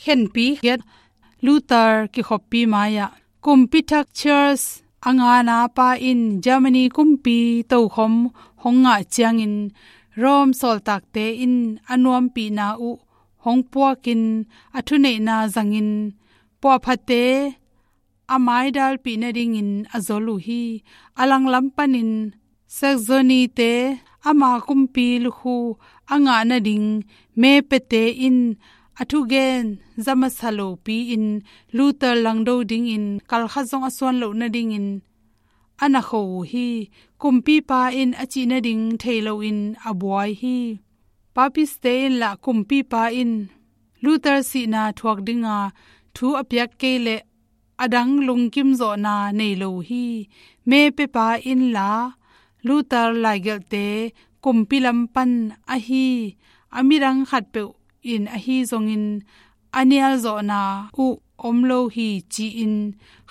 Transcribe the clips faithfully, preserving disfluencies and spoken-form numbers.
khenpi giat Luther kikhoppi mai-ah kumpi thak Charles a ngana pa in Germany kumpi tokhom hong ngah ciangin Rome sawltakte in a nuampihna uh hong puakin a thuneihna zangin puahphate a maidalpih nadingin a zol uh hi. A langlam panin Saxony-te ama kumpi lukhu a ngah nading mepiate in a thugen za masa lopi-in Luther langdo dingin kalkhat zong a suan loh nadingin a na kho uh hi. Kumpipa in a cih nading thei loin a buai hi. Papiste in lah kumpipa in Luther sihna thuak dinga thu a piak kei leh a dang lungkim zawhna nei lo uh hi. Mepiapa in lah Luther laigelhte kumpi lam pan ahi, a midang khatpeuh in ahi zongin a nial zawhna uh om lo hi ci-in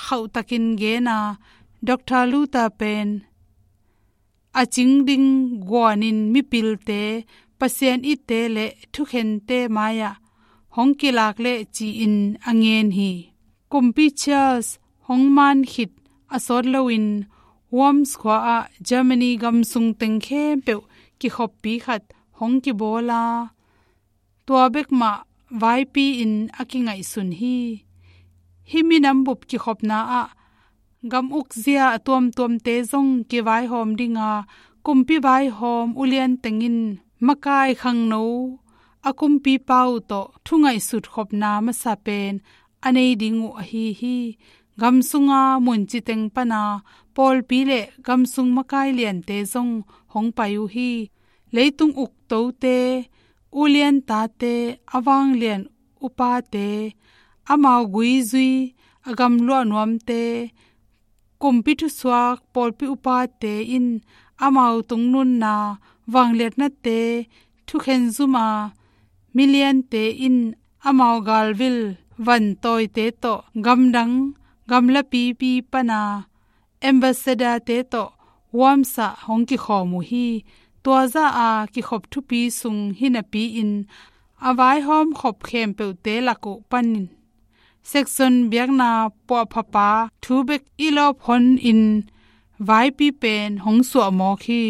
khauhtakin gen a, Doctor Luther pen a cing ding guanin mipilte, Pasian itte le thukhente mai-ah hong kilak leh ci-in a ngen hi. Kumpi Charles hong man khit a sawt loin Worms khua-ah Germany gamsung teng khempeuh kikhoppi khat hong kibawl a, tua bek mah vaipi-in a kingaihsun hi. Hih minam bup kikhopna ah gam ukzia a tuamtuamte zong kivaihawm dinga kumpi vaihawm ulian teng in makai khangno a kumpipa uh tawh thungaihsut khopna masa pen a nei ding uh ahi hi. Gam sunga munci teng pana pawlpi le gamsung makai liante zong hong pai uh hi. Leitung uktote, ulian tate, a vanglian upate, amau guizui a gamluah nuamte, kumpi thusuak pawlpi upate in amau tungnunna vangliatnate thukhen zuma miliante in amau galvil vantawite tawh gamdang gamlapipi pana ambassador-te tawh Worms-ah hong kikhawm uh hi. Tua zah a kikhop thupi sung hi napi-in a vaihawm khop khempeuhte lak uh panin Saxon biakna puahphapa thu bek i lawp honin vaipi pen hong suah mawk hi.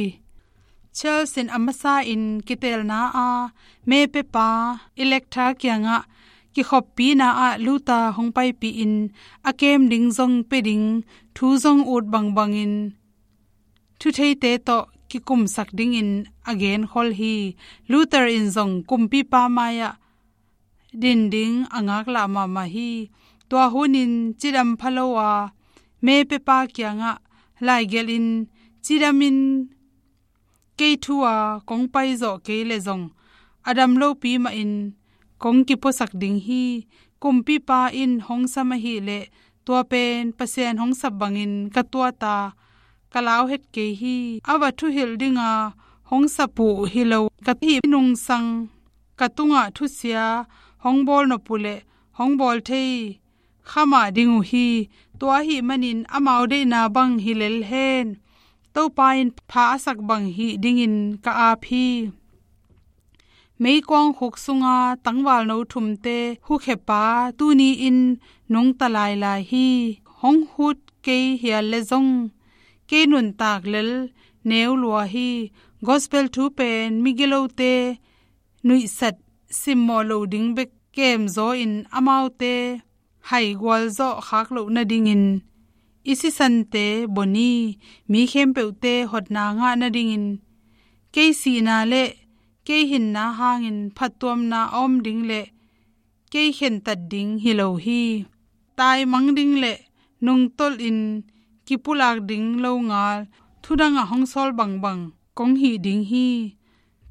Charles in a masa in kitelna a mepiapa Elector kiangah kikhoppina ah Luther hong paipih in a kem ding zong pia ding thu zong ut bangbangin thutheite tawh kikumsak dingin a genkhol hi. Luther in zong kumpipa mai-ah din ding a ngaklah mahmah hi. Tua hunin cidam pha lo a mepiapa kiangah laigelhin cidamin kei thu a kong paizawh kei leh zong a dam lopi mahin kong kipuasak ding hi. Kumpipa in hong sam ahih leh tua pen Pasian hong sap bangin ka tuat a ka lau het kei hi. A va thuhilh dinga hong sap uh hi lo ka hih nungsang ka tungah thusia hong bawl nop uh leh hong bawl thei kha mah ding uh hi. Tua ahih manin amau deihna bang hi lel hen, Topa in pha a sak bang hih dingin ka ap hi. Meikuang khuk sunga tangvalno thumte hukhepa tuni-in nungta lailai hi. Hong hut kei hial leh zong kei nuntak lel neu lua hi. Gospel thu pen migilote nuihsat simmawh loh ding bek kemzaw-in amaute haigualzawh khak loh nadingin i sisante bon hi. Mi khempeuhte hotna ngah nadingin kei sihna le kei hinna hangin phattuamna a om ding le kei khentat ding hi lo hi. Taimang ding le nungtolhin kipulak ding longal thudang a hong sawl bangbang kong hih ding hi.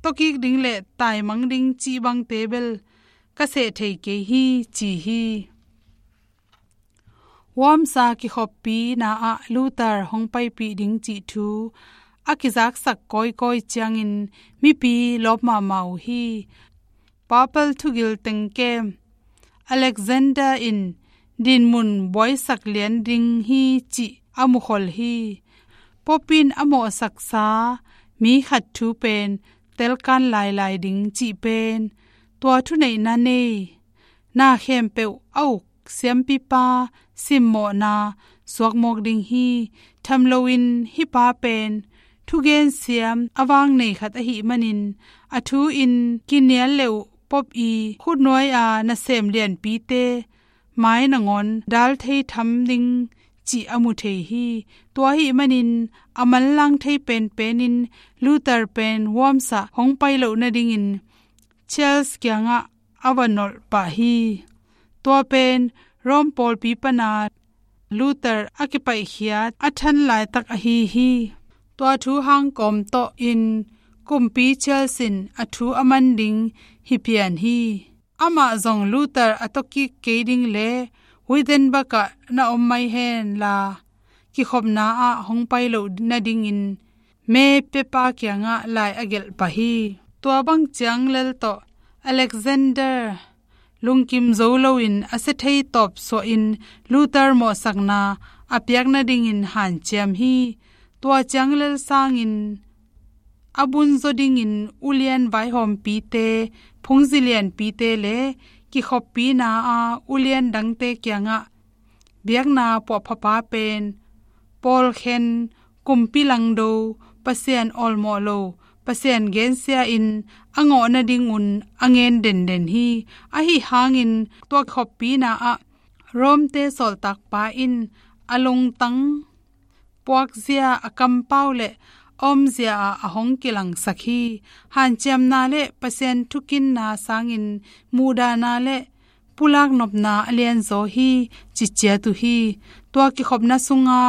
Tawkik ding le taimang ding cih bangte bel ka seh thei kei hi, ci hi. Worms a kikhoppina ah Luther hong paipih ding cih thu a kizaksak kawikawi ciangin mipi lawp mahmah uh hi. Papal thugil teng kem Alexander in dinmun buaisak lian ding hi cih a mukhol hi. Pope in a mawhsaksa mi khat thu pen telkan lailai ding cih pen tua thuneihna nei na khempeuh a uk siampipa simmawhna suakmawk ding hi. Tham loin hih pa pen thugen siam a vang nei khat ahih manin a thu-in kinial le uh Pope i khutnuai-a nasem lianpite mai nangawn dal thei tham ding cih a mu thei hi. Tua ahih manin a manlang thei penpenin Luther pen huamsa hong pai loh nadingin Charles kiangah a va nolh pah hi. Tua pen Rome pawlpi pana Luther a kipaihkhiat a than laitak ahi hi. Tua thu hang kawm tawh in kumpi Charles in a thu a man ding hi pian hi. Amah zong Luther a tawkik kei ding le Wittenberg ah na om mai hen la, kikhopna ah hong pai loh nadingin me pepa kiangah lai a gelh pah hi. Tua bang ciang lel tawh Alexander lungkim zo loin a sia thei tawp suahin Luther mawhsakna a piak nadingin hanciam hi. Tua ciang lel sangin a bunzaw dingin ulian vaihawmpite, phungzi lianpite le kikhoppina a ulian dangte kiangah biakna puahphapa pen pawlkhen, kumpi langdo, Pasian awlmawh lo, Pasian gensia in a ngawh nadingun a ngen denden hi. Ahi hangin tua kikhoppina ah Rome-te sawltakpa in a lungtang puakzia, a kampau le a omzia ah a hong kilangsak hi. Hanciamna le Pasian thukinna sangin muhdahna le pulak nopna a lianzaw hi, ci ciat uh hi. Tua kikhopna sunga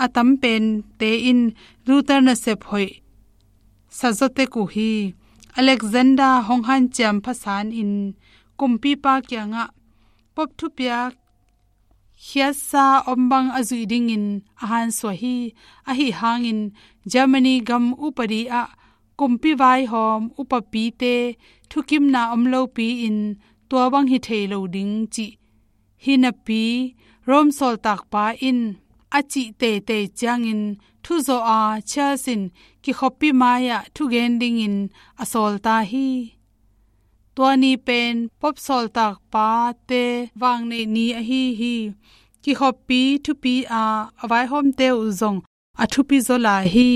a tam pente in Luther nasep hoih sa zaw tek uh hi. Alexander hong hanciam phasanin kumpipa kiangah Pope thupiak khiatsa om bang a zuih dingin a hansuah hi. Ahi hangin Germany gam upadi ah kumpi vaihawm upapite thukimna om lopi-in tua bang hi thei lo ding cih hi napi, Rome sawltakpa in a cih teitei ciangin thuzawh a Charles in kikhoppi mai-ah thugen dingin a sawlta hi. Tua ni pen Pope sawltakpate vangneih ni ahi hi. Kikhoppi thupi a a vaihawmte uh zong a thupi zaw lai hi.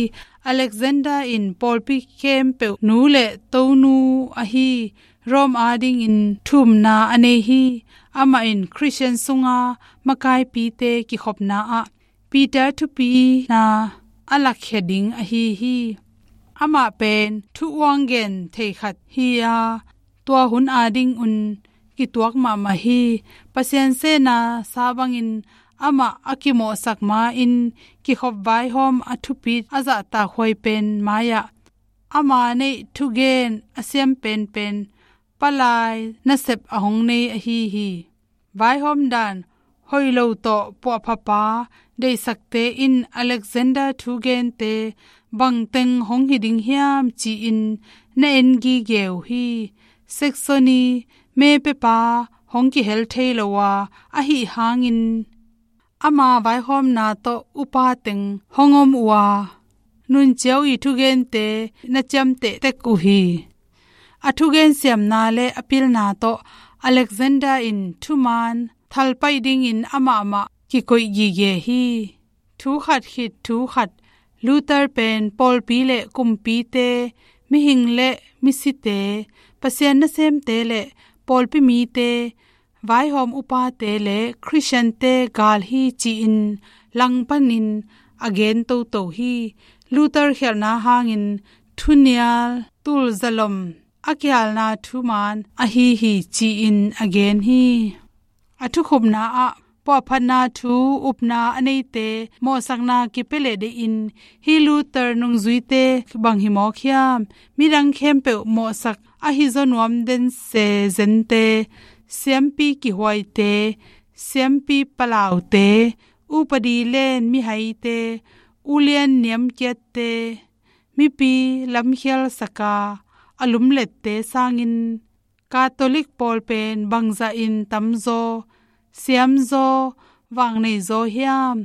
Alexander in pawlpi khempeuh nu le tonu ahi Rome adingin thumna a nei hi. Amah in Khristian sunga makaipite kikhopna ah Peter thupina a lakkhia ding ahi hi. Amah pen thu uanggen thei khat hi a, tua hun adingun kituak mahmah hi. Pasian sehna sa bangin amah a kimawhsak ma-in kikhop vaihawm a thupi a zahtak huai pen mai-ah ama neih thugen a siam penpen palai nasep a hong nei ahi hi. Vaihawm dan hoih lo tawh puahphapa deihsakte in Alexander thugente bangteng hong hi ding hiam ci-in na en gige uh hi. Saxony me pepa hong kihel thei lo a, ahi hangin ama vaihawmna tawh upa teng hong om uh a, nunciau i thugente na ciamteh tek uh hi. A thugen siamna le a pilna tawh Alexander in thuman thalpaih dingin amahmah kikoih gige hi. Thu khat khit thu khat, Luther pen pawlpi le kumpite, mihing le misite, Pasian nasemte le pawlpi mite, vaihawm upate le Khristiante gal hi ci-in langpanin a gen toto hi. Luther khialhna hangin thunial tulzalom a kialna thuman ahi hi ci-in a gen hi. A thukhupna ah puahphatna thu upna a neite mawhsakna kipia leh deihin hih Luther nungzuite bang hi mawk hiam? Midang khempeuh mawhsak ahi zaw nuam den se zente, siampi kihuaite, siampi palaute, upadi len mihaite, ulian niamkiatte, mipi lamkhialsaka a lumlette sangin Catholic pawl pen bangzahin tamzaw, siamzaw, vangneizaw hiam?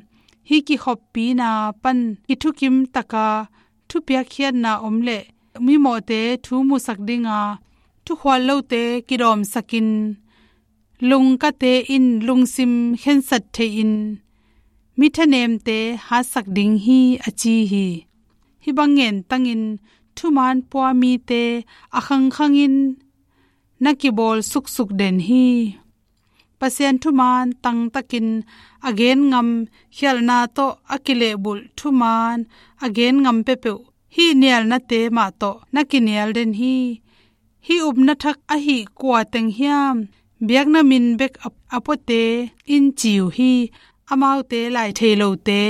Hih kikhoppina pan kithukim taka thupiakkhiatna om leh mimawhte thu musak dinga thukhual lote kidawmsakin lungkate in lungsim khensat thei-in mi thanemte hatsak ding hi, a ci hi. Hih bang ngen tangin thuman pua mite a khangkhangin na kibawl suksuk den hi. Pasian thuman tangtakin a gen ngam khialhna tawh a kilehbulh thuman a gen ngam peuhpeuh hih nialnate mah tawh na kinial den hi. Hih upna thak ahi kua teng hiam, biakna min bek a, a puate in ci uh hi. Amaute lai thei lote,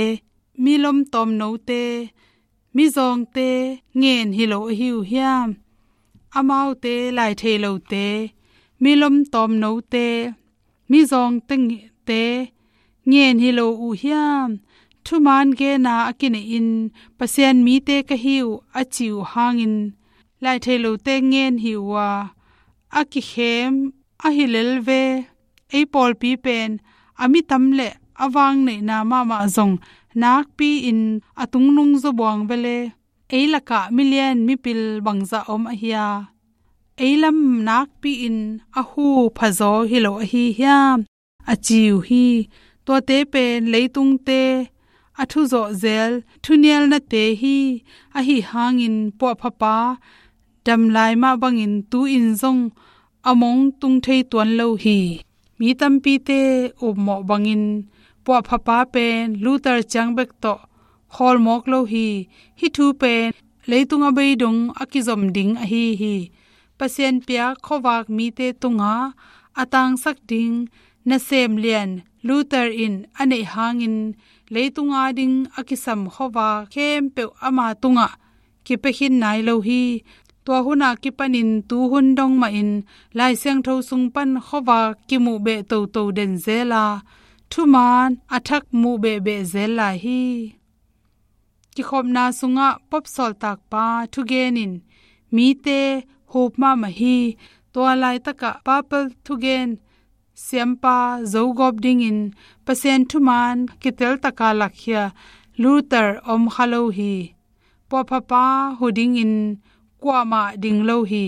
mi lomtawm note, mizawngte ngen hi lo ahi uh hiam? Amaute lai thei lote, mi lomtawm note, mizawngte nge-, te ngen hi lo uh hiam? Thuman gena a kineihin Pasian mite ka hi uh a ci uh hangin lai thei lote ngen hi uh a, a kikhem ahi lel ve. Ei pawlpi pen a mi tam le a vang neihna mahmah zong nakpi-in a tungnung zaw buang vele. Ei lakah milian mipil bangzah om ahi a, ei lam nakpi-in a hu phazaw hi lo ahi hiam? A ci uh hi. Tuate pen leitungte a thuzawh zel thunialnate hi. Ahi hangin puahphapa dam lai mah bangin tu-in zong a mong tung thei tuan lo hi. Mi tampite upmawh bangin puahphapa pen Luther ciang bek tawh khawl mawk lo hi. Hih thu pen leitung a beidong a kizom ding ahi hi. Pasian piak khuavak mite tungah a tangsak ding nasem lian Luther in a neih hangin leitung ading a kisam khuavak khempeuh ama tungah kipia khin nai lo hi. Tua hun a kipanin tu hun dong mahin Lai Siangtho sung pan khuavak kimuh beh toto den zel a, thuman a thak muh behbeh zel lai hi. Kikhopna sungah Pope sawltakpa thugen in mite hup mahmah hi. Tua laitakah Papal thugen siampa zogawp dingin Pasian thuman kiteltaka lakkhia Luther om kha lo hi. Puahphapa hu dingin kuamah ding lo hi.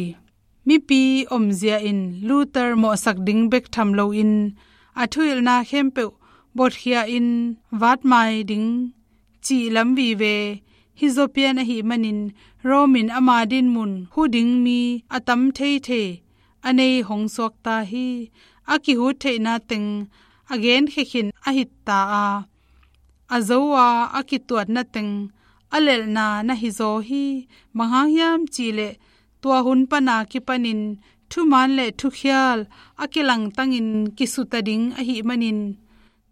Mipi omzia in Luther mawhsak ding bek tham loin a thuhilhna khempeuh botkhia-in vatmai ding cih lam vive hi zaw pian ahih manin Rome in ama dinmun hu ding mi a tam theithei a nei hong suakta hi. A kihut theihna teng a genkhia khin a hit ta a, a zo a, a kituatna teng a lelhna na hi zaw hi. Bang hang hiam cihleh tua hun pana kipanin thuman le thukhial a kilangtangin kisuta ding ahih manin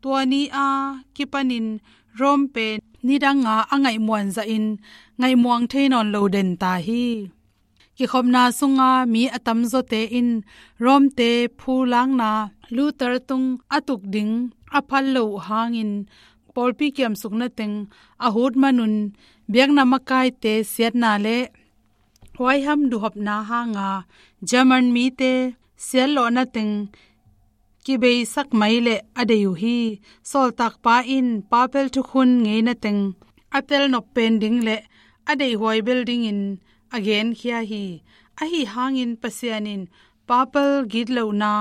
tua ni a kipanin Rome pen nidanga a ngaihmuan zahin ngaihmuang thei nawn lo den ta hi. Kikhopna sunga mi a tamzawte in Rome-te phulakna Luther tung a tuk ding a phal lo uh hangin pawlpi kiamsukna teng a hut manun biakna makaite siatna le huaiham duhopna hanga German mite siatlawhna teng kibeisak mai le a dei uh hi. Sawltakpa in Papal thukhun ngeina teng a telnop pen ding le a deihhuai bel dingin a genkhia hi. Ahi hangin Pasian in Papal gitlohna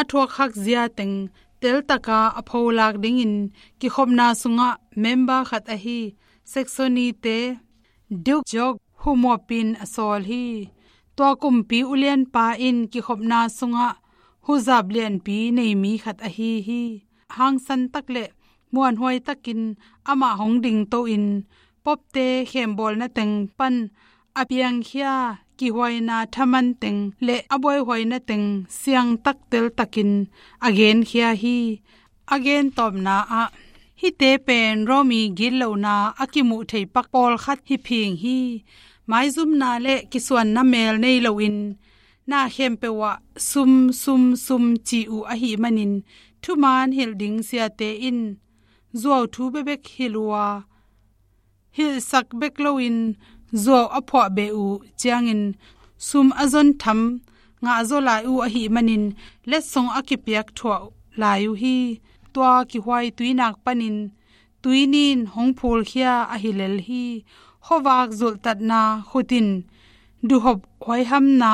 a thuakkhak zia teng teltaka a pholak dingin kikhopna sungah member khat ahi Saxony-te Duke George humuapin a sawl hi. Tua kumpi ulianpa in kikhopna sungah huzap lianpi nei mi khat ahi hi. Hangsan tak le muanhuai takin amah hong dingto-in Pope-te khembawlna teng pan a piangkhia kihuaina thaman teng le a buaihuaina teng siangtak teltakin a genkhia hi. A gentawpna ah hihte pen Rome-i gitlohna a kimuh thei pak pawlkhat hi phing hi. Maizumna le kisuanna mel nei loin na khempeuh ah sum, sum, sum ci uh ahih manin thuman hilh ding siate in zuau thu bekbek hilh uh a, hilhsak bek loin zuau a phuah beh uh ciangin sum a zon tham ngah zaw lai uh ahih manin letsong a kipiak thuah lai uh hi. Tua kihuai tuinak panin tuinin hong phulkhia ahi lel hi. Khuavak zulhtatna khut in duhop huaihamna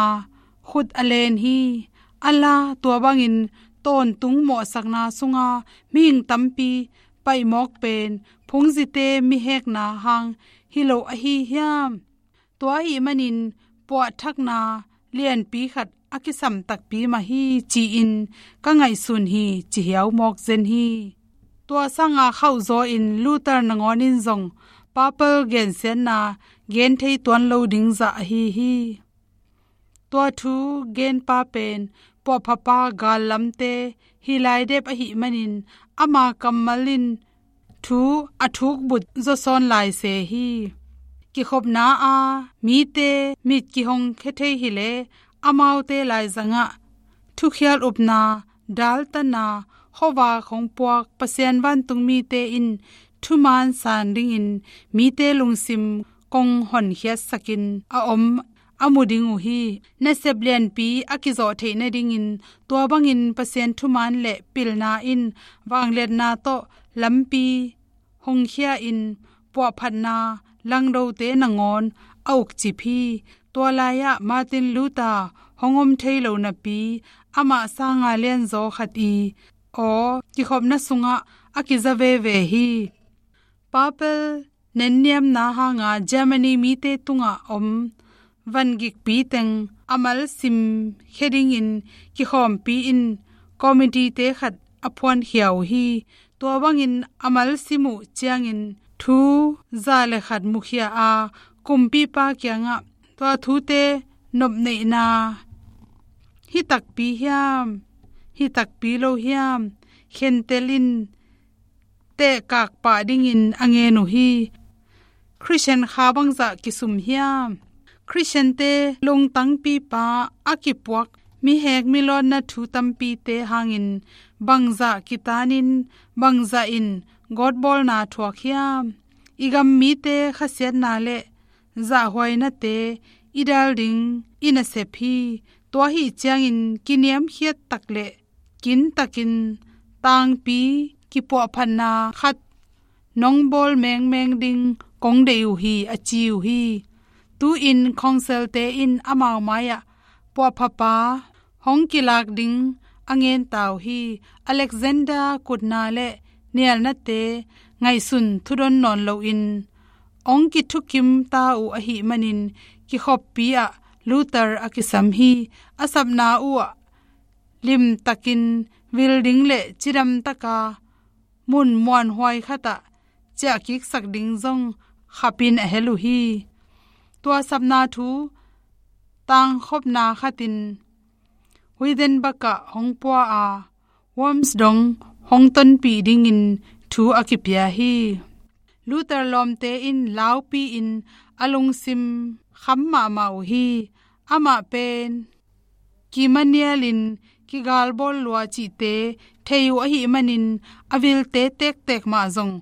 khut a len hi. A la tua bangin tawntung mawhsakna sunga mihing tampi paimawk pen phungzite mihekna hang hi lo ahi hiam? Tua ahih manin puahthakna lianpi khat a kisam takpi mah hi ci-in ka ngaihsun hi, ci hiau mawk zen hi. Tua sanga khauhzaw in Luther nangawn in zong papal gensiatna gen thei tuan lo ding zah ahi hi. Tua thu genpa pen puahphapa gallamte hi lai dep ahih manin ama kammal in thu a thukbut zawsawn lai se hi. Kikhopna a mite mit kihong khia thei hileh amaute laizangah thukhial upna, daltanna, khuavak hong puak Pasian vantungmite in thuman san dingin mite lungsim kong honkhiatsakin a om a mu ding uh hi. Nasep lianpi a kizawh theih nadingin tua bangin Pasian thuman le pilna in vangliatna tawh lampi hongkhia in puahphatna langdote nangawn a ukcip hi. Tua lai-ah Martin Luther hong om thei lo napi amah sanga lianzaw khat i aw kikhopna sungah a kiza veve hi. Papal nenniamna hanga Germany mite tungah om vangikpi teng a malsim khia dingin kikhawmpi in committee-te khat a phuankhia uh hi. Tua bangin a malsim uh ciangin thu za le khat mukhia a kumpipa kiangah tua thute nopneihna hi takpi hiam, hi takpi lo hiam, khentel in tehkak pah dingin a ngen uh hi. Khristian kha bangzah kisum hiam? Khristiante lungtangpipa a kipuak mihek milawtna thu tampite hangin bangzah kitanin bangzah in gawtbawlna thuak hiam? I gam mite khasiatna le zahhuainate i dal ding i nasep hi. Tua ahi ciangin kiniamkhiat tak le kintakin tangpi kipuahphatna khat nong bawl mengmeng ding kong deih uh hi, a ci uh hi. Tu-in council-te in amau mai-ah puahphapa hong kilak ding a ngenta uh hi. Alexander kutna le nialnate ngaihsun thudon nawn loin hong kithukim ta uh ahih manin kikhoppi ah Luther a kisam hi. A sapna uh ah limtakin vil ding le cidam taka mun muanhuai khatah ciahkiksak ding zong khapin a hel uh hi. Tua sapna thu tangkhopna khatin Wittenberg ah hong pua a, Worms dong hong tonpih dingin thu a kipia hi. Luther lawmte in laupi-in a lungsim kham mahmah uh hi. Amah pen kimanialin kigalbawl lua cihte thei uh ahih manin a vilte tektek mah zong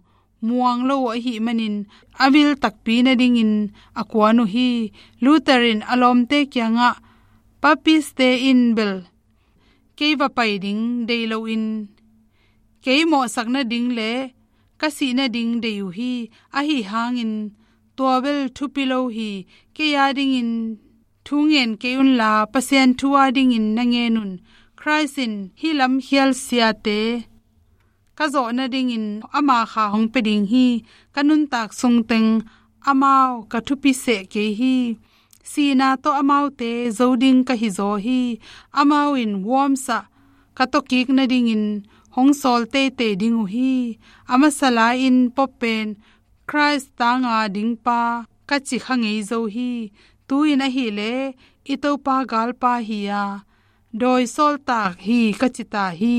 muang lo uh ahih manin a vil takpi nadingin a kuan uh hi. Luther in a lawmte kiangah Papist-te in bel kei va pai ding dei loin kei mawhsak nading le ka sih nading dei uh hi. Ahi hangin tua bel thupi lo hi. Kei a dingin thu ngen kei unla Pasian thu a dingin na ngen un. Khrist in hih lamkhial siate ka zawh nadingin ama kha hong pia ding hi. Ka nuntak sungteng amau ka thupi seh kei hi. Sihna tawh amaute zo ding ka hizaw hi. Amau in Worms ah ka tawkik nadingin hong sawl teitei ding uh hi. A masa lai-in Pope pen Khrist tanga dingpa ka ci kha ngei zo hi. Tu-in ahileh i Topa galpa hi-a dawi sawltak hi ka ci ta hi.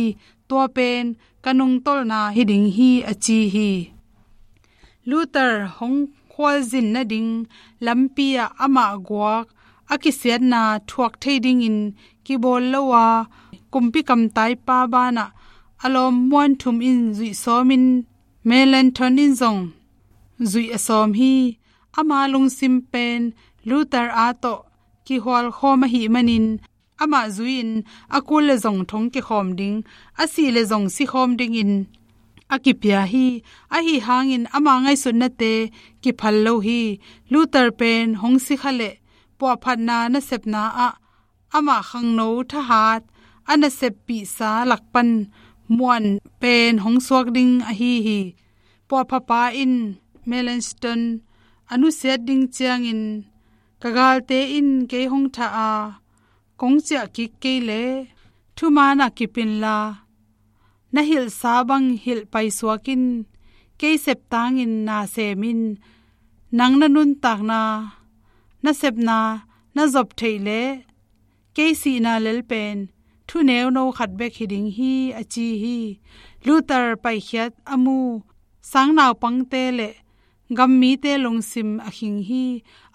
Tua pen ka nungtolhna hi ding hi, a ci hi. Luther hong khualzin nading lampi ah amah guak a kisiatna thuak thei dingin kibawl lo a, kumpi kamtaipa banah a lawm muanthum in zuih sawmin Melanchthon in zong zuih a sawm hi. Ama lungsim pen Luther a tawh kihualkhawm ahih manin amah zui-in a kul le zong thong kikhawm ding, a sih le zong sikhawm dingin a kipia hi. Ahi hangin ama ngaihsutnate kiphal lo hi. Luther pen hong si kha leh puahphatna nasepna ah amah khangno thahat a naseppihsa lak pan muan pen hong suak ding ahi hi. Puahphapa in Melanchthon a nusiat ding ciangin, ka galte in kei hong thah a, kong ciah kik kei leh thuman ah kip inla, na hilhsa bang hilh paisuak in, kei septangin na sem in, nang na nuntakna, na sepna na zop theih leh kei sihna lel pen thu neuno khat bek hi ding hi, a ci hi. Luther paikhiat a mu sangnaupangte le gammite lungsim a khing hi.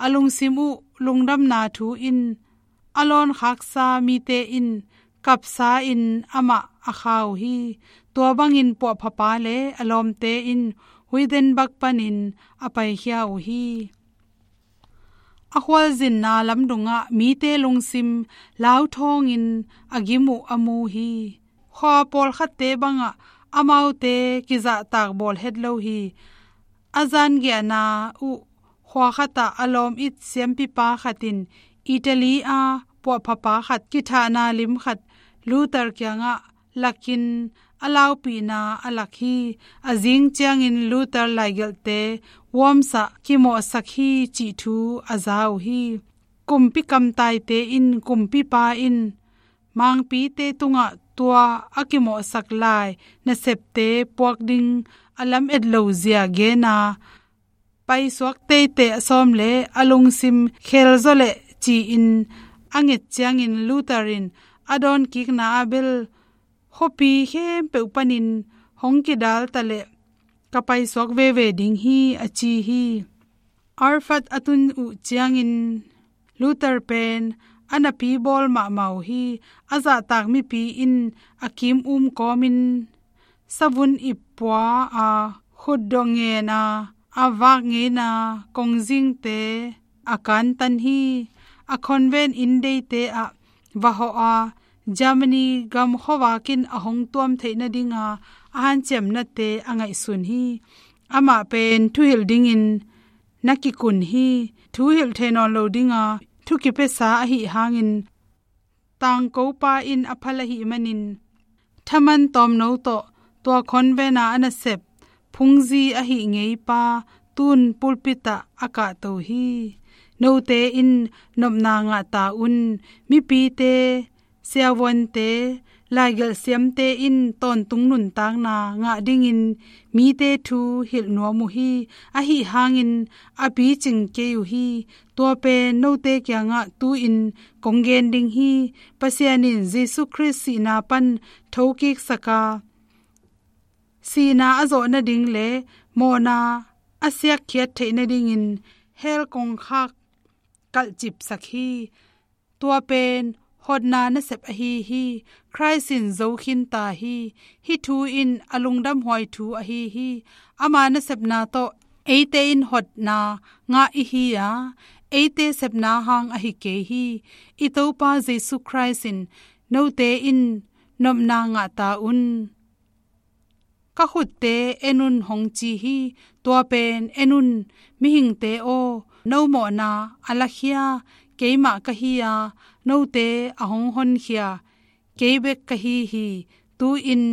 A lungsim uh lungdamna thu in a lawnkhaksa mite in kapsa in amah a kha uh hi. Tua bangin puahphapa le a lawmte in Wittenberg panin a paikhia uh hi. A khualzinna lamdungah mite lungsim lauthawngin a gim uh a mu hi. Khua pawlkhatte bangah amaute kizahtak bawl het lo hi. A zangiahna uh khua khatah a lawm it siampipa khat in Italy a puahphapa khat kithahna lim khat Luther kiangah lakin a laupihna a lak hi. A zing ciangin Luther laigelhte vuamsah kimawhsak hi cih thu a za uh hi. Kumpi kamtaite in kumpipa in mangpite tungah tua a kimawhsak lai nasepte puak ding a lamet lo zia gen a, paisuak teitei a sawm le a lungsim khelzaw leh ci-in a nget ciangin Luther in a dawnkikna ah bel khuapi khempeuh panin hong kidal ta leh ka paisuak veve ding hi, a ci hi. Erfurt a tun uh ciangin Luther pen a napi bawl mahmah uh hi. A zahtak mipi in a kim um kawmin savun ip pua a, khutdawh ngen a, a vak ngeina kongzingte a kantan hi. A convent inn deite ah va hawh a, Germany gam khuavak in a hong tuam theih nadinga a hanciamnate a ngaihsun hi. Amah pen thuhilh dingin na kikun hi. Thuhilh thei nawn lo dinga thu kipiasa ahi hangin tangkopa in a phal ahih manin thaman tawmno tawh tua convent a a nasep phungzi ahi ngeipa tun pulpit ah a kahto hi. Note in nopna ngah ta un. Mipite, siavuante, laigelh siamte in tawntung nuntakna ngah dingin mite thu hilh nuam uh hi. Ahi hangin a picing kei uh hi. Tua pen note kiangah tu-in kong gen ding hi. Pasian in Jesu Khrist sihna pan thokiksak a, sihna a zawh nading le mawhna a siakkhiat theih nadingin hell kongkhak kalhcipsak hi. Tua pen hotna nasep ahi hi. Khrist in zo khinta hi. Hih thu in a lungdamhuai thu ahi hi. Ama nasepna tawh eite in hotna ngah i hi a, eite sepna hang ahi kei hi. I Topa Jesu Khrist in note in nopna ngah ta un. Ka khutte en un hong ci hi. Tua pen en un, mihingte aw, no mawhna a lakhia keimah ka hi a, note a hong honkhia kei bek ka hi hi. Tu-in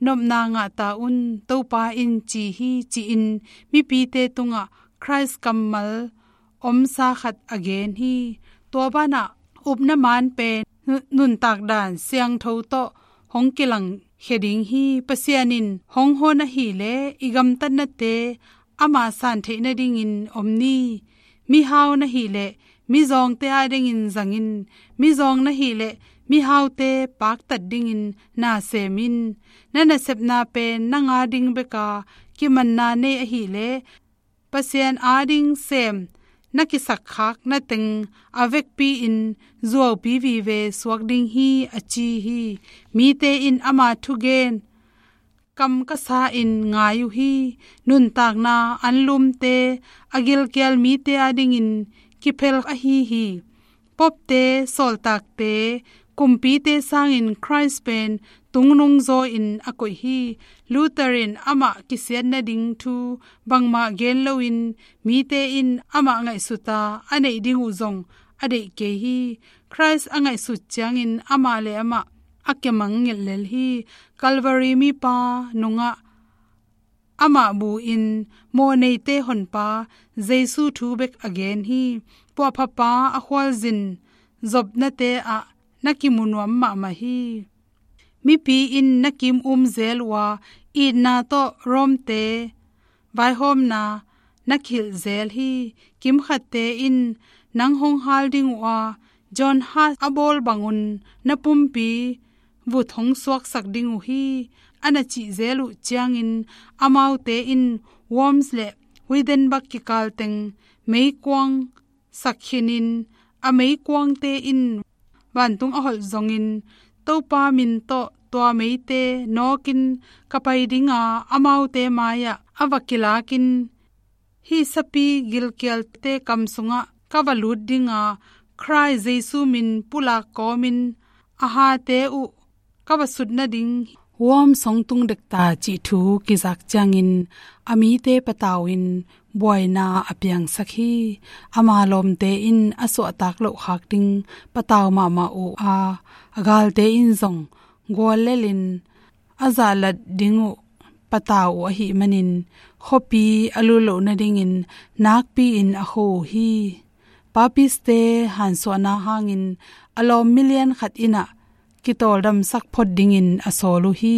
nopna ngah ta un, Topa in ci hi, ci-in mipite tungah Khrist kammal omsa khat a gen hi. Tua banah upna man pen nu-, nuntak dan siangtho tawh hong kilangkhia ding hi. Pasian in hong hon ahih leh i gamtatnate ama san theih nadingin om ni. Mihau na hih leh mizawngte adingin zang in. Mizawng na hih leh mihaute paktat dingin na sem in. Na nasepna pen nang ading bek a kimanna nei ahih leh Pasian ading sem na kisakkhakna teng a vekpi-in zuaupi vive suak ding hi, a ci hi. Mite in ama thugen kam ka sa-in ngai uh hi. Nuntakna anlumte, a gilkial mite adingin kiphel ahi hi. Popte, sawltakte, kumpite sangin Khrist pen tungnung zaw-in a koih hi. Luther in amah kisiat nading thu bangmah gen loin mite in amah ngaihsut a, a neih ding uh zong a deih kei hi. Khrist a ngaihsut ciangin amah le amah a kimangngilh lel hi. Calvary mipa nungah amah buin mawhneite honpa Jesu thu bek a gen hi. Puahphapa a khualzin zopnate ah na kimu nuam mahmah hi. Mipi in na kim um zel uh a, itna tawh Rome-te vaihawmna na khilh zel hi. Kimkhatte in nang hong hal ding uh a, John Huss a bawl bangun na pumpi vut hong suaksak ding uh hi, a na cih zel uh ciangin, amaute in Worms le Wittenberg kikal teng meikuang sak khinin, a meikuangte in vantung a holh zongin, Topa min tawh tua meite nawkin ka pai dinga, amaute mai-ah a va kilakin, hih sapi gilkialte kam sungah ka va lut dinga, Khrist Jesu min pulak kawmin a hate uh ka va sut nading. Worms hong tung dekta cih thu kizak ciangin, a mite patau in buaina a piangsak hi. Ama lawmte in a suahtak loh khak ding patau mahmah uh a, a galte in zong guallelin a zahlat ding uh patau uh ahih manin, khuapi a lut loh nadingin nakpi-in a kho uh hi. Papist-te hansuahna hangin a lawm milian khat in ah kitawldamsak phot dingin a sawl uh hi.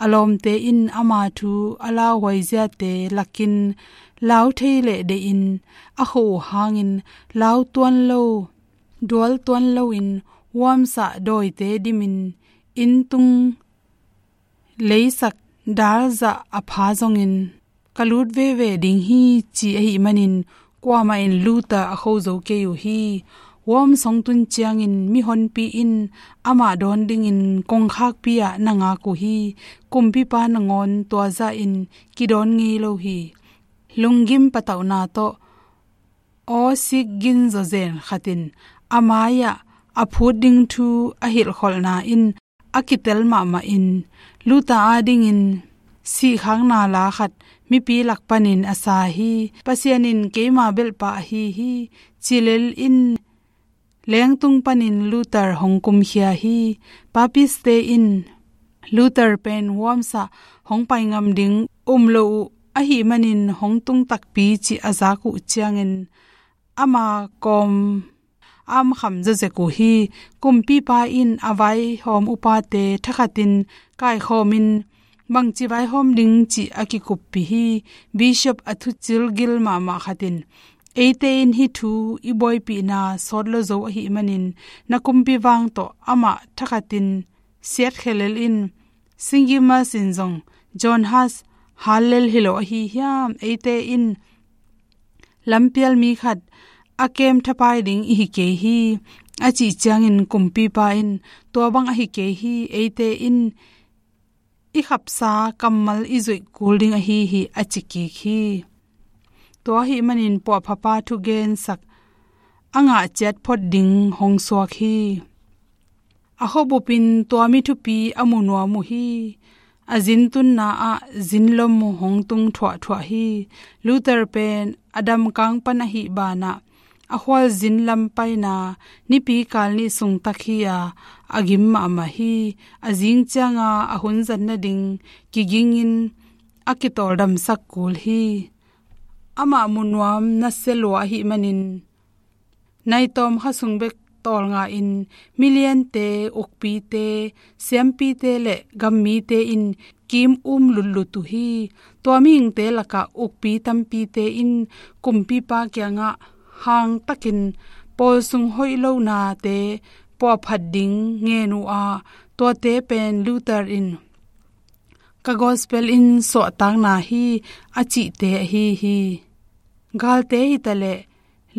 A lawmte in ama thu a lauhuai ziate lakin lau thei leh deihin a kho uh hangin, lau tuan lo, dual tuan loin Worms ah dawite dimin, inn tung leisak dal zah a pha zongin ka lut veve ding hi, ci ahih manin kuamah in Luther a kho zo kei uh hi. Worms hong tun ciangin mihonpi in amah dawn dingin kongkhakpi ah na ngak uh hi. Kumpipa nangawn tua zahin kidawn ngei lo hi. Lunggim patauhna tawh aw sik gin zawzen khat in a mai-ah a phut ding thu a hilhkholhna in a kitel mahmah in, Luther adingin sihkhakna la khat mipi lak panin a sa hi. Pasian in keima belhpa ahi hi, ci lel in lengtung panin Luther hong kumkhia hi. Papist-te in Luther pen Worms ah hong pai ngam ding um lo uh ahih manin hong tung takpi, ci a zak uh ciangin, ama kawm a amkham zawzek uh hi. Kumpipa in a vaihawm upate thakhatin kaikhawmin, bangci vaihawm ding cih a kikuppih hi. Bishop a thucil gil mahmah khat in, eite in hih thu i buaipihna sawt lo zo ahih manin, na kumpi vang tawh amah thakhatin siatkhia lel in, St. Gimas in zong John Huss hal lel hi lo ahi hiam? Eite in lampial mi khat a kem thapai ding i hi kei hi, a cih ciangin kumpipa in, tua bang ahi kei hi, eite in i khapsa kammal i zuih kul ding ahi hi, a ci kik hi. Tua ahih manin puahphapa thugensak a ngah ciat phot ding hong suak hi. A khuabup in tua mi thupi a mu nuam uh hi. A zin tunna ah zin lom hong tung thuahthuah hi. Luther pen a damkang pan ahih banah a khualzin lam paina nipi kal nih sung tak hi a, a gim mahmah hi. A zing cianga a hun zat nading kigingin a kitawldamsak kul hi. Amah mu nuam nasia lua ahih manin, nai tawm kha sung bek tawlnga-in miliante, ukpite, siampite le gammite in kim um lutlut uh hi. Tua mihingte lakah ukpi tampite in kumpipa kiangah hangtakin pawl sung hoih lonate puahphat ding ngen uh a, tuate pen Luther in ka gospel in suahtakna hi, a cihte ahi hi. Galte hitaleh,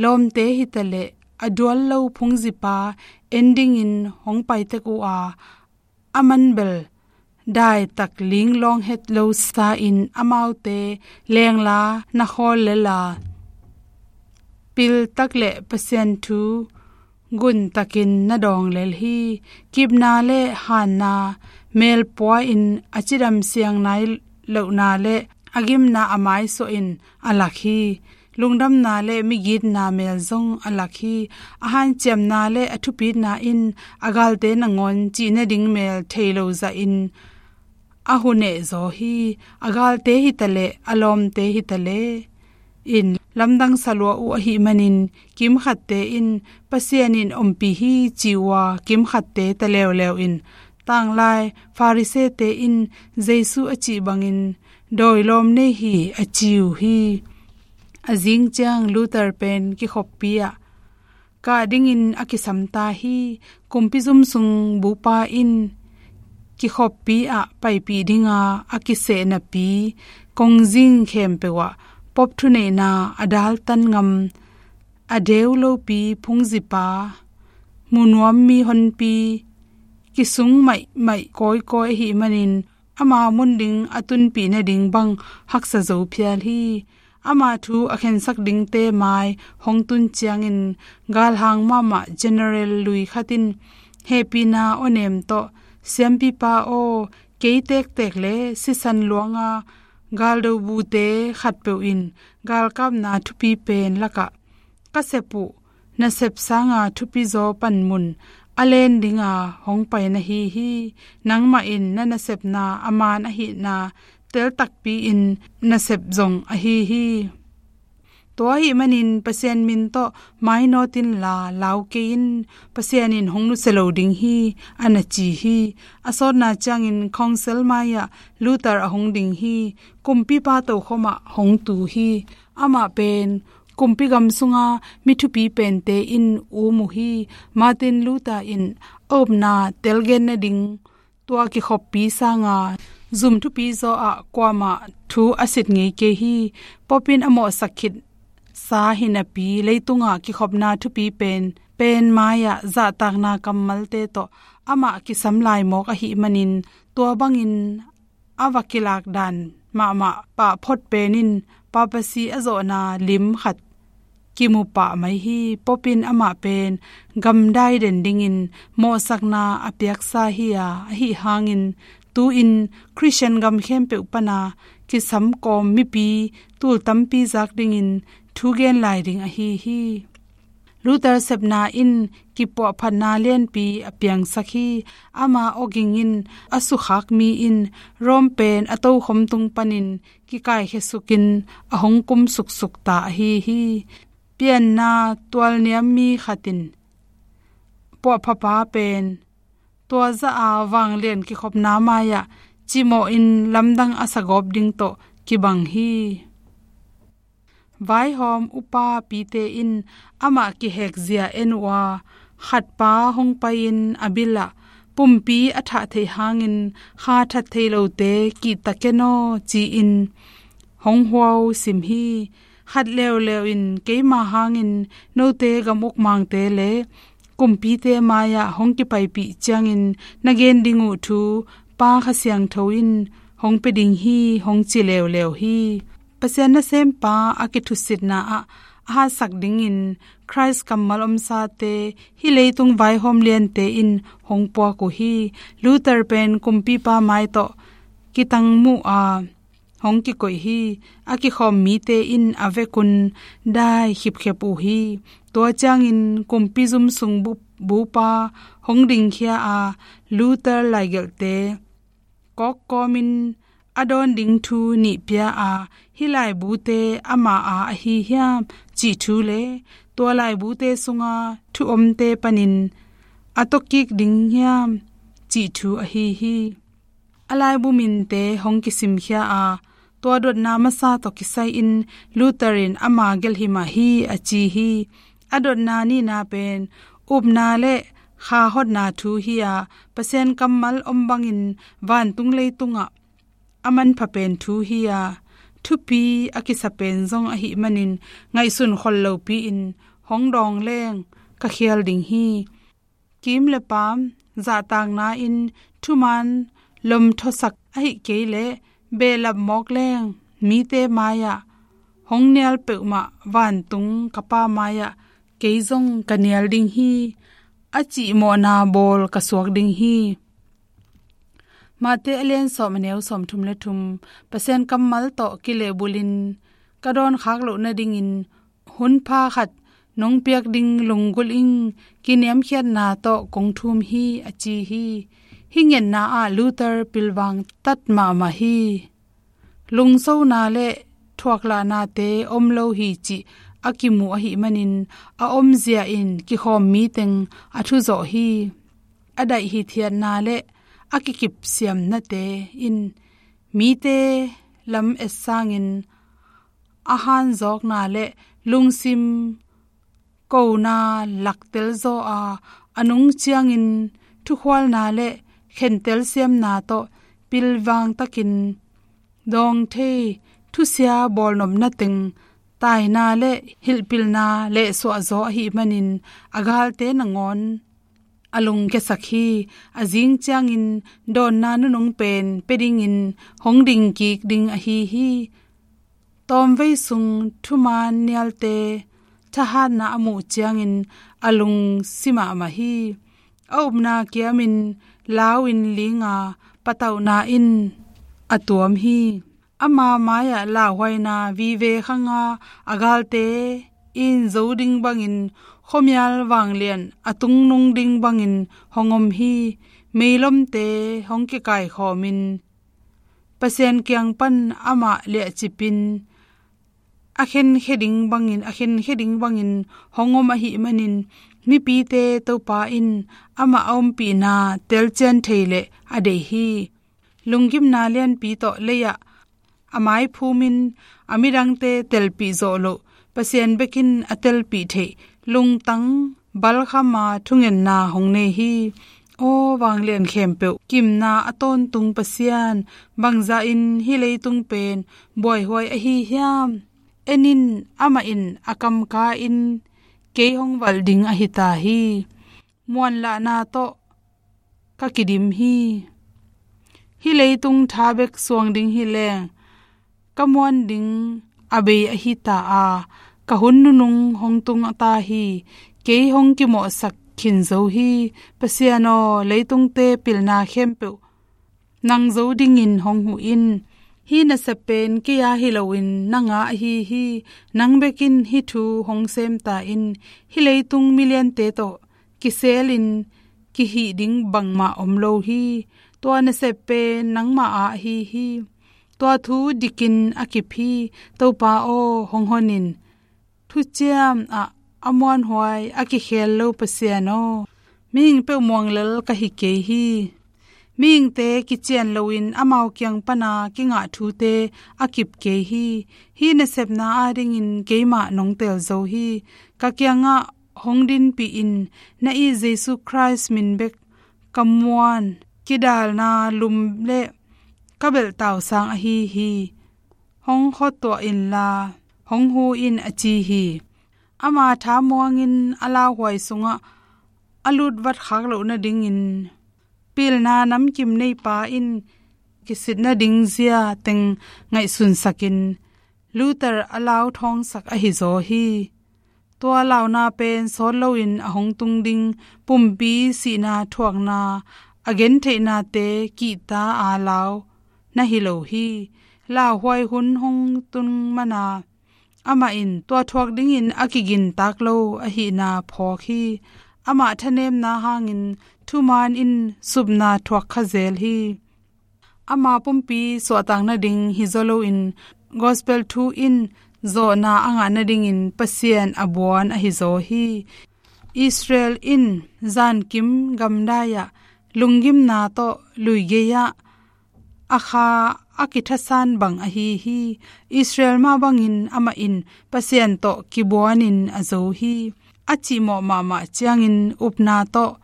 lawmte hitaleh, a dual lo phungzipa en dingin hong paitek uh a, a manbel daitak linglawng het lo sa-in amaute lengla na khawl lel a, piltak le Pasian thu guntakin na dawng lel hi. Kipna le hanna melpua in a cidam siang nai lohna le a gimna a maisuah in a lak hi. lungdamna le migitna mel zong a lak hi. A hanciamna le a thupitna in a galte nangawn cih nading mel thei lo zahin a huneh zaw hi. A galte hitaleh, a lawmte hitaleh in lamdang sa lua uh ahih manin, kimkhatte in Pasian in ompih hi ci uh a, kimkhatte ta leuleu in, tanglai Farisee-te in Jesu a cih bangin dawi lawm nei hi a ci uh hi. A zing ciang Luther pen kikhoppi ah kah dingin a kisam ta hi. Kumpi zum sung bupa in kikhoppi ah paipih dinga a kiseh napi kongzing khempeuh ah Pope thuneihna a daltan ngam, a deu lopi phungzipa, mu nuam mi honpi, kisung maihmaih kawikawi ahih manin, ama mun ding a tunpih nading bang haksa zo phial hi. Ama thu a khensak dingte mai hong tun ciangin, galhang mahmah general lui khat in hehpihna awnem tawh, "Siampipa aw, kei tektek le sisan luanga galdo bute khatpeuh in galkapna thupi pen lakah ka sep uh nasep sanga thupizaw panmun a len dinga hong pai na hi hi. Nangmah in na nasepna a man ahihna tel takpi-in na sep zong ahi hi. Tua ahih manin Pasian min tawh mainawt inla lau kei in, Pasian in hong nusia lo ding hi," a na ci hi. A sawtna ciangin Council mai-ah Luther a hong ding hi. Kumpipa tokhom ah hong tu hi. Amah pen kumpi gam sunga mi thupi pente in um uh hi. Martin Luther in a upna telgen nading tua kikhoppi sanga zum thupizaw ah kuamah thu a sit ngei kei hi. Pope in a mawhsak khitsa hi napi, leitungah kikhopna thupi pen, pen mai-ah zahtakna kammalte tawh amah kisam lai mawk ahih manin, tua bangin a va kilak dan mahmah pahphot pen in papacy a zawhna lim khat kimu pah mai hi. Pope in amah pen gamdai den dingin mawhsakna a piaksa hi a, ahi hangin tu-in Christian gam khempeuh pana kisam kawm mipi tul tampi zak dingin thugen lai ding ahi hi. Luther sepna in kipuahphatna lianpi a piangsak hi. Ama awging in a sukhak mi in Rome pen a tokhom tung panin kikaikhia sukin a hong kum suksuk ta ahi hi. Pianna tualniam mi khat in puahphapa pen tua zah a vanglian kikhopna mai-ah cimawhin lamdang a sagawp ding tawh kibang hi. Vaihawm upapite in amah kihekzia en uh a, khatpa hong pai-in a bilah pumpi a thah theih hangin kha that thei lote kihta ken aw ci-in hong huau sim hi. Khat leuleu in, "Keima hangin note gam ukmangte le kumpite mai-ah hong kipaipih ciangin na gen ding uh thu Pa Kha Siangtho in hong pia ding hi," hong ci leuleu hi. Pasian nasempa a kithusitna ah a hatsak dingin Khrist kammal omsate hih leitung vaihawm liante in hong puak uh hi. Luther pen kumpipa mai tawh kitangmuh a hong kikoih hi. A kikhawm mite in a vekun dai khipkhep uh hi. Tua ciangin kumpi zum sung bu-, bupa hong dingkhia a, Luther laigelhte kawkkawmin a dawn ding thu nih pia a, "Hih laibute ama a ahi hiam?" cih thu le tua laibute sunga thu omte panin a tawkik ding hiam cih thu ahi hi. A laibu minte hong kisimkhia a, tua dotna masa tawh kisai-in Luther in ama gelh hi mah hi a ci hi. A dotna nihna pen upna le kha hotna thu hi a, Pasian kammal om bangin vantung leitungah a manpha pen thu hi a, thupi a kisa pen zong ahih manin ngaihsun khol lopi-in hong dawng leng ka khial ding hi. Kim le paam zahtakna in thuman lomthosak ahih kei leh behlap mawk leng mite mai-ah hong nial peuhmah vantung ka Pa mai-ah kei zong ka nial ding hi, a cih mawhna bawl ka suak ding hi. Matthai a lian sawm, a neu sawmthum le thum. Pasian kammal tawh kilehbulhin ka dawn khak loh nadingin hun pha khat nong piak ding lunggulh ing, kiniamkhiatna tawh kong thum hi, a ci hi. Hih ngetna ah Luther pilvang tat mahmah hi. Lungsona le thuaklahnate om lo hi cih a kimu ahih manin a omzia in kikhawm mi teng a thuzawh hi. A daih hithiatna le a kikipsiamnate in mite lam et sangin a hanzawkna le lungsim kona laktel zaw a, a nung ciangin thukhualna le khentel siamna tawh pilvang takin dawng thei thusia bawlnopna teng taina le hilhpilna lehsuah zaw ahih manin a galte nangawn a lungkiasak hi. A zing ciangin dawnna nunung pen pia dingin hong ding kik ding ahi hi. Tawmvei sung thumaan nialte thahatna a muh ciangin a lungsi mahmah hi. A upna kiamin lau in linga patauhna in a tuam hi. Ama mai-ah lauhuaina vive khanga a galte in zo ding bangin khuamial vanglian a tungnung ding bangin hong om hi. Meilomte hong kikaikhawmin Pasian kiang pan amah liahcipin a khenkhia ding bangin, a khenkhia ding bangin hong om ahih manin mipite Topa in amah a ompihna telcian thei leh a deih hi. Lunggimna lianpi tawh lei-ah a maiphumin a midangte telpih zawh loh Pasian bekin a telpih theih lungtang balkhama thungetna hong nei hi. Aw vanglian khempeuh kimna a tawntung Pasian, bangzahin hih leitung pen buaihuai ahi hiam? En in, amah in a kamka in kei hong valh ding ahi ta hi. Muanlahna tawh ka kidim hi. Hih leitung tha bek suang ding hi leng ka muan ding a bei ahi ta a, ka hun nunung hong tung a ta hi. Kei hong kimawhsak khin zo hi. Pasian aw, leitungte pilna khempeuh nang zo dingin hong huh in. Hih nasep pen kei a hi loin nang a ahi hi. Nang bekin hih thu hong sem ta in. Hih leitung miliante tawh kiselin kihih ding bangmah om lo hi. Tua nasep pen nangmah a ahi hi. Tua thu dikin a kip hi. Topa aw, hong hon in. Thuciam ah a muanhuai a kikhel lo Pasian aw, mihing peuh muanglel ka hi kei hi. Mihingte kician loin amau kiang pana kingah thute a kip kei hi. Hih nasepna adingin keimah nong tel zo hi. Ka kiangah hong dinpih in. Na it Jesu Khrist min bek ka muan kidalna lum le ka belhtausang ahi hi. Hong khuatuah inla hong hu in, a ci hi. Ama thamuangin a lauhuai sungah a lutvat khak loh nadingin pilna namkim neipa in kisit nading zia teng ngaihsunsakin Luther a lau thawngsak ahi zaw hi. Tua launa pen sawt loin a hong tung ding pumpi sihna thuakna a gentheihnate kihta a lau na hi lo hi. Lauhuai hun hong tung mana amah in tua thuak dingin a kigintak lo ahihna phawk hi. Amah thanemna hangin thumaan in supna thuak kha zel hi. Ama pumpi suahtak nading hi zaw loin gospel thu in zawhna a ngah nadingin Pasian a buan ahi zaw hi. Israel in zankim gamdai-ah lunggimna tawh luigei-ah a kha a kithasan bang ahi hi. Israel mah bangin amah in Pasian tawh kibuanin a zo hi. A cihmawh mahmah ciangin upna tawh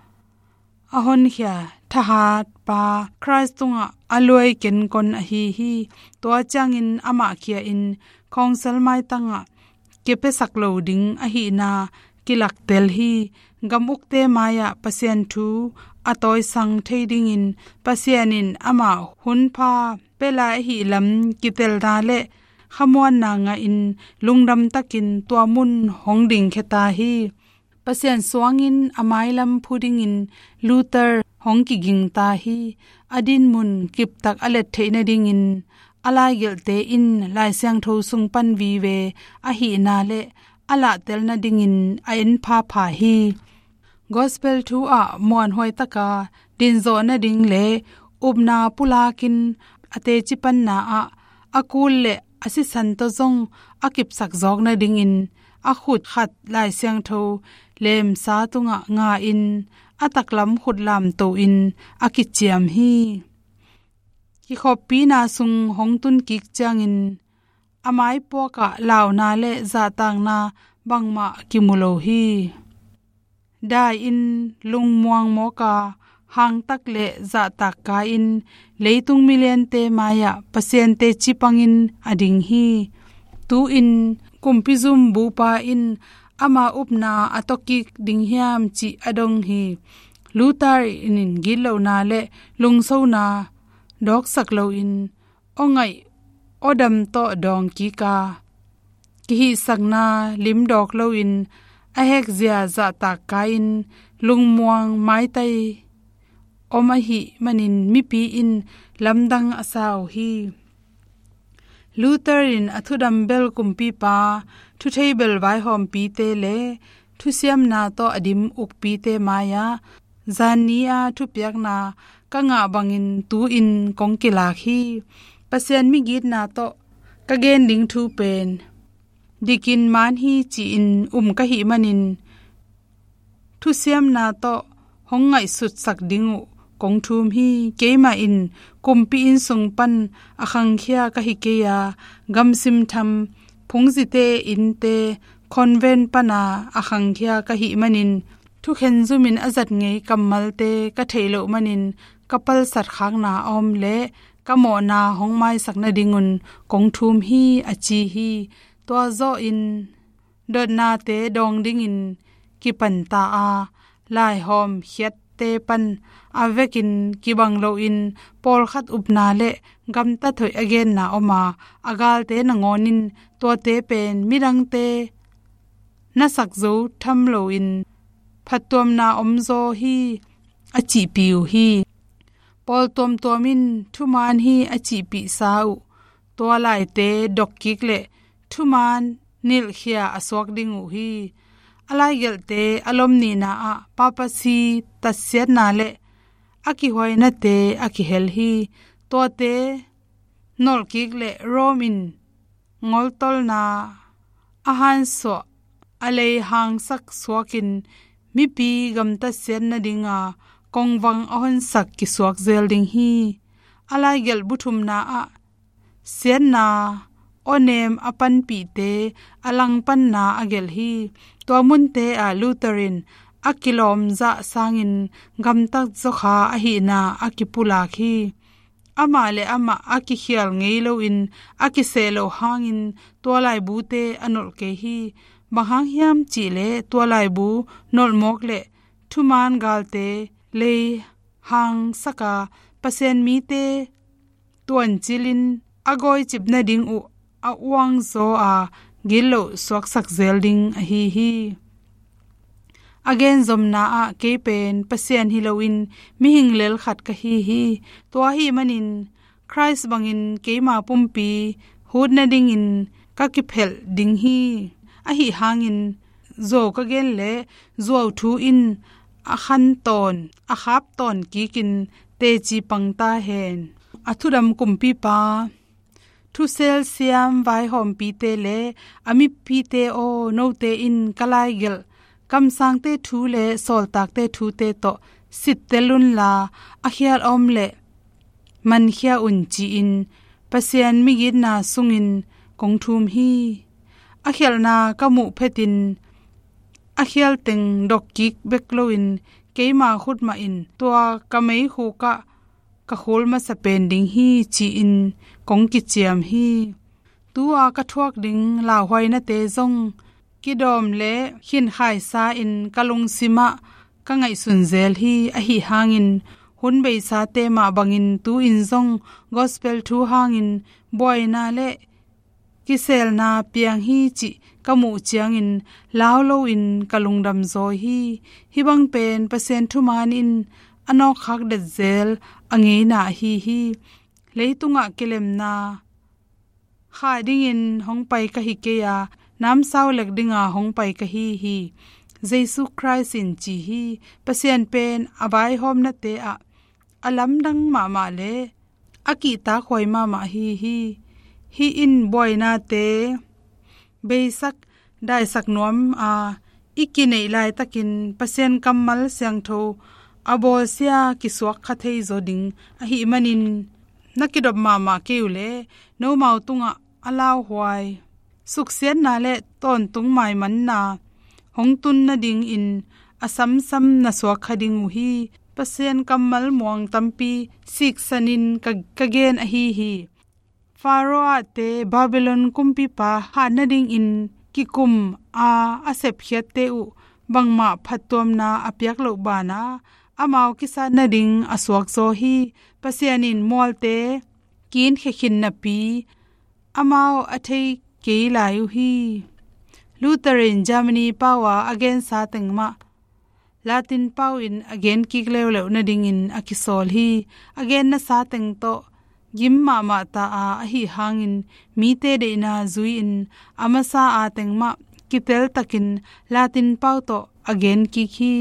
a honkhia thahatpa Khrist tungah a luai kenkon ahi hi. Tua ciangin amah khia in khawngsel maitangah kipiasak lo ding ahihna kilaktel hi. Gam ukte mai-ah Pasian thu a tawisang thei dingin Pasian in amah hunpha pia lai ahih lam kitelna le khamuanna ngahin lungdamtakin tua mun hong dingkhia ta hi. Pasian suangin a mailam phu dingin Luther hong kiging ta hi. A dinmun kiptak a let theih nadingin a laigelhte in Lai Siangtho sung pan vive ahihna le a lahtel nadingin a en phapha hi. Gospel thu ah muanhuai taka dinzawh nading le upna pulakin a teci panna ah a kul le a sisan tawh zong a kipsak zawk nadingin a khut khat Lai Siangtho lemsa tungah nga in a taklam khut lamto in a kiciam hi. Kikhoppina sung hong tun kik ciangin a maipuakah launa le zahtakna bangmah kimu lo hi. Dai in lungmuang mawka hangtak le zahtak kai in leitung miliante mai-ah Pasian teci pangin a ding hi. Tu-in kumpizum bupa in ama upna a tawkik ding hiam cih a dong hi. Luther in gitlohna le lungsona dawksak loin aw ngaih aw dam tawh dawng kik a, kihihsakna limdawk loin a hekzia zahtak kai-in lungmuang maitai om ahih manin mipi in lamdang a sa uh hi. Luther in a thudam bel kumpipa, thuthei bel vaihawmpite le thusiamna tawh a dim ukpite mai-ah zanni a thupiakna ka ngah bangin tu-in kong kilak hi. Pasian migitna tawh ka gen ding thu pen dikin man hi ci-in um ka hih manin thusiamna tawh hong ngaihsutsak ding uh kong thum hi. Keimah in kumpi inn sung pan a khangkhia ka hi kei a, gamsim tham phungzite innte convent pana a khangkhia ka hih manin thukhen zumin a zat ngei kammalte ka theih loh manin ka palsat khakna a om le ka mawhna hong maisak nadingun kong thum hi, a ci hi. Tua zawhin dotnate dawng dingin kipanta a, laihawm khiatte pan a vekin kibang loin pawlkhat upna le gamtat hoih a genna om a, a galte nangawnin tuate pen midangte na sak zo tham loin phattuamna omzaw hi, a cihpih uh hi. Pawl tuamtuam in thuman hi a cihpihsa uh tua laite dokkik le thuman nilhkhia a suak ding uh hi. A laigelhte a lomnihna ah papacy tatsiatna le a kihuainate a kihel hi. Tuate nolhkik le Rome in ngoltolna a hansuah a lei hangsak suakin mipi gamtat siat nadinga kongvang a honsak kisuak zel ding hi. A laigelh buthumna ah siatna awnem a panpihte a langpanna a gelh hi. Tua munte ah Luther in a kilawm zah sangin gamtat zawkha ahihna a kipulak hi. Amah le amah a kikhial ngei loin a kiseh loh hangin tua laibute a nolh kei hi. Bang hang hiam cihleh tua laibu nolhmawk le thuman galte lei hangsaka Pasian mite tuancilin a gawicip nading uh a uangzaw a gitloh suaksak zel ding ahi hi. A genzomna ah kei pen Pasian hi loin mihing lel khat ka hi hi. Tua ahih manin Khrist bangin keima pumpi hut nadingin ka kiphelh ding hi. Ahi hangin zuau ka gen le zuau thu in a khan tawn a khap tawn kikin teci pang ta hen. A thudam kumpipa thusel siam vaihawmpite le a mipite aw, note in ka laigelh kamsangte thu le sawltakte thute tawh sittel unla a khial a om le mankhia un ci-in Pasian migitna sungin kong thum hi. A khialhna ka muh phetin a khial teng dokkik bek loin keima khut mahin tua ka meikhukah ka khul masa pen ding hi ci-in kong kiciam hi. Tua ka thuak ding lauhuainate zong kidawm le khinkhaisa in ka lungsimah ka ngaihsun zel hi. Ahi hangin hun beisate mah bangin tu-in zong gospel thu hangin buaina le kiselna piang hi cih ka muh ciangin lau loin ka lungdam zaw hi. Hih bang pen Pasian thuman in a nawkkhak detzel a ngeina ahi hi. Leitungah kilemna kha dingin hong pai ka hi kei a, namsau lek dinga hong pai ka hi hi. Jesu Khrist in ci hi. Pasian pen a vaihawmnate ah a lamdang mahmah le a kihtakhuai mahmah hi hi. Hih in buainate beisak daisak nuam a, i kineih laitakin Pasian kammal siangtho a bawlsia kisuak kha thei zaw ding ahih manin, na kidop mahmah kei uh leh nomau tungah a lauhuai suksiatna le tawntung maimanna hong tun nadingin a samsam na suak kha ding uh hi. Pasian kammal muang tampi siksanin ka, ka gen ahi hi. Pharaoh-te, Babylon kumpipa hat nadingin kikum a, a sepkhiatte uh bangmah phattuamna a piak loh banah amau kisat nading a suakzaw hi. Pasian in mualte kinkhia khin napi amau a thei kei lai uh hi. Luther in Germany pau a a gensa teng mah Latin pau in a gen kik leuleu nadingin a kisawl hi. A gen nasa teng tawh gim mahmah ta a, ahi hangin mite deihna zui-in a masa a teng mah kiteltakin Latin pau tawh a gen kik hi.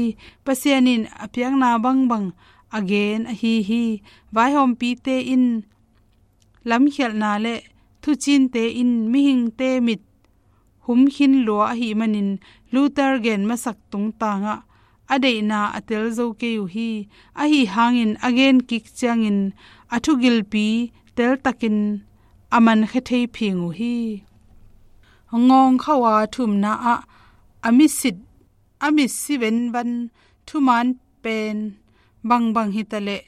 Pasian in a piakna bangbang a gen ahi hi. Vaihawmpite in lamkhialhna le thucinte in mihingte mit humkhin lua ahih manin Luther gen masak tungtangah a deihna a tel zo kei uh hi. Ahi hangin a gen kik ciangin a thugilpi teltakin a mankhia thei phing uh hi. Ngawngkhauh a thumna ah a misit a mitsi venvan thuman pen bangbang hitaleh,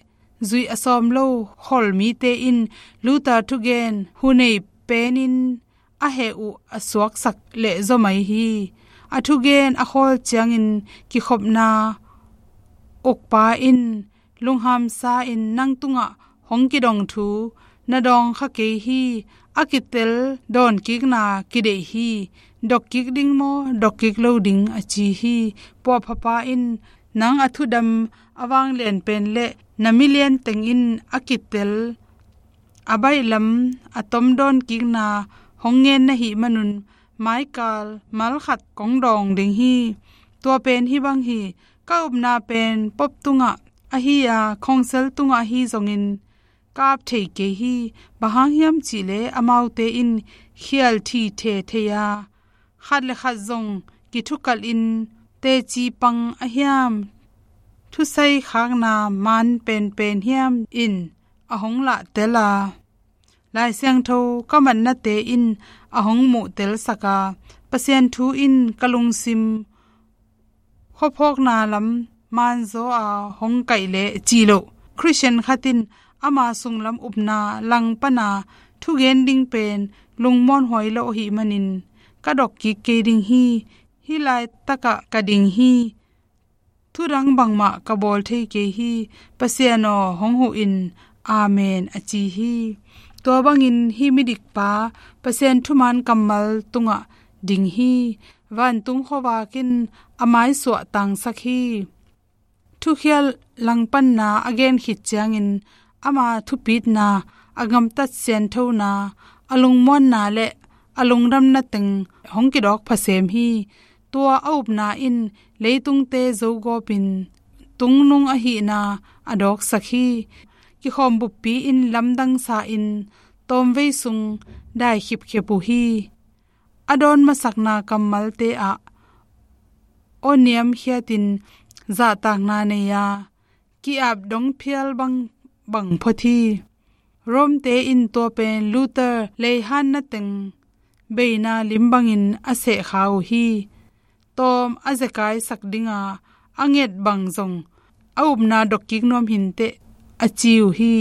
zuih a sawm lo khol mite in Luther thugen hunei penin a heh uh a suaksak leh zaw mai hi. A thugen a khawl ciangin kikhopna ukpa in lunghamsa in, "Nang tungah hong kidong thu na dawng kha kei hi. A kitel dawnkikna kideih hi. Dokkik ding maw, dokkik lo ding?" a ci hi. Puahphapa in, "Nang a thudam a vanglian pen le na milian teng in a kitel a baihlam a tom dawnkikna hong ngen na hih manun maikal malkhat kong dawng ding hi. Tua pen hih bang hi. Ka upna pen Pope tungah ahi a, Council tungah ahi zongin ka ap thei kei hi. Bang hang hiam cihleh amaute in khial thithe thei a, khat le khat zong kithukalhin teci pang a hiam, thusai khakna man penpen hiam in a hong lahtel a, Lai Siangtho ka matnate in a hong muhtelsak a, Pasian thu in ka lungsim khuaphawkna lam manzaw a hong kaih leh," ci loh Khristian khat in ama sunglam upna langpana thugen ding pen lungmuanhuai lo ahih manin, "Ka dokkik kei ding hi. Hih laitakah ka ding hi. Thudang bangmah ka bawl thei kei hi. Pasian aw, hong huh in. Amen," a ci hi. Tua bangin hih midikpa Pasian thuman kammal tungah ding hi. Vantung khuavak in a maisuah tangsak hi. Thukhial langpanna a gen khit ciangin ama thupitna, a gamtat sianthona, a lungmuanna le a lungdamna teng hong kidawk phasem hi. Tua a upna in leitungte zogawpin tungnung ahihna a dawksak hi. Kikhawm buppi in lamdangsa in tawmvei sung dai khipkhip uh hi. A dawn masakna kammalte ah aw niamkhiatin zahtakna nei a, ki-ap dong phial bang, bang phot hi. Rome-te in tua pen Luther leihanna teng beina lim bangin a sehkha uh hi. Tawm a zekaisak dinga a nget bang zong a upna dokkik nuam hinteh a ci uh hi.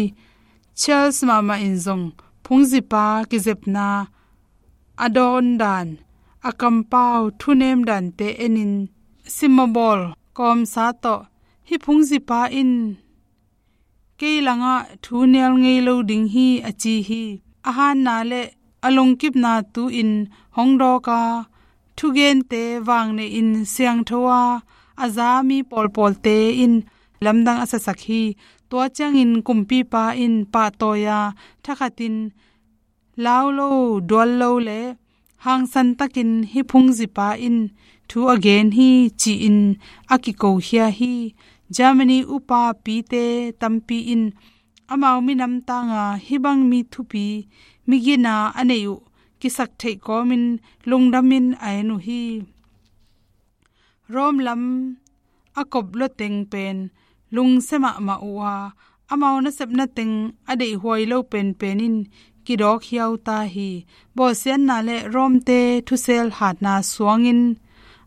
Charles mahmah in zong phungzipa kizepna a dawn dan, a kampau thunem dante enin simabawl kawmsa tawh, "Hih phungzipa in kei langah thu nial ngei lo ding hi," a ci hi. A hanna le a lungkipna tu-in hong dawk a, thugente vangnehin siangtho a, a za mi pawlpawlte in lamdang a sasak hi. Tua ciangin kumpipa in pahtawi a, thakhatin lau lo, dual lo le hangsan takin hih phungzipa in thu a gen hi ci-in a kikokhia hi. Germany upa pite tampi in amau minam tanga hih bang mi thupi, mi gina a neih uh kisak theih kawmin lungdamin a en uh hi. Rome lam a kop luateng pen lungsia mahmah uh a, amau nasepna teng a deihhuai lo penpen in kidawk hiau ta hi. Bawlsiatna le Rome-te thusel hatna suangin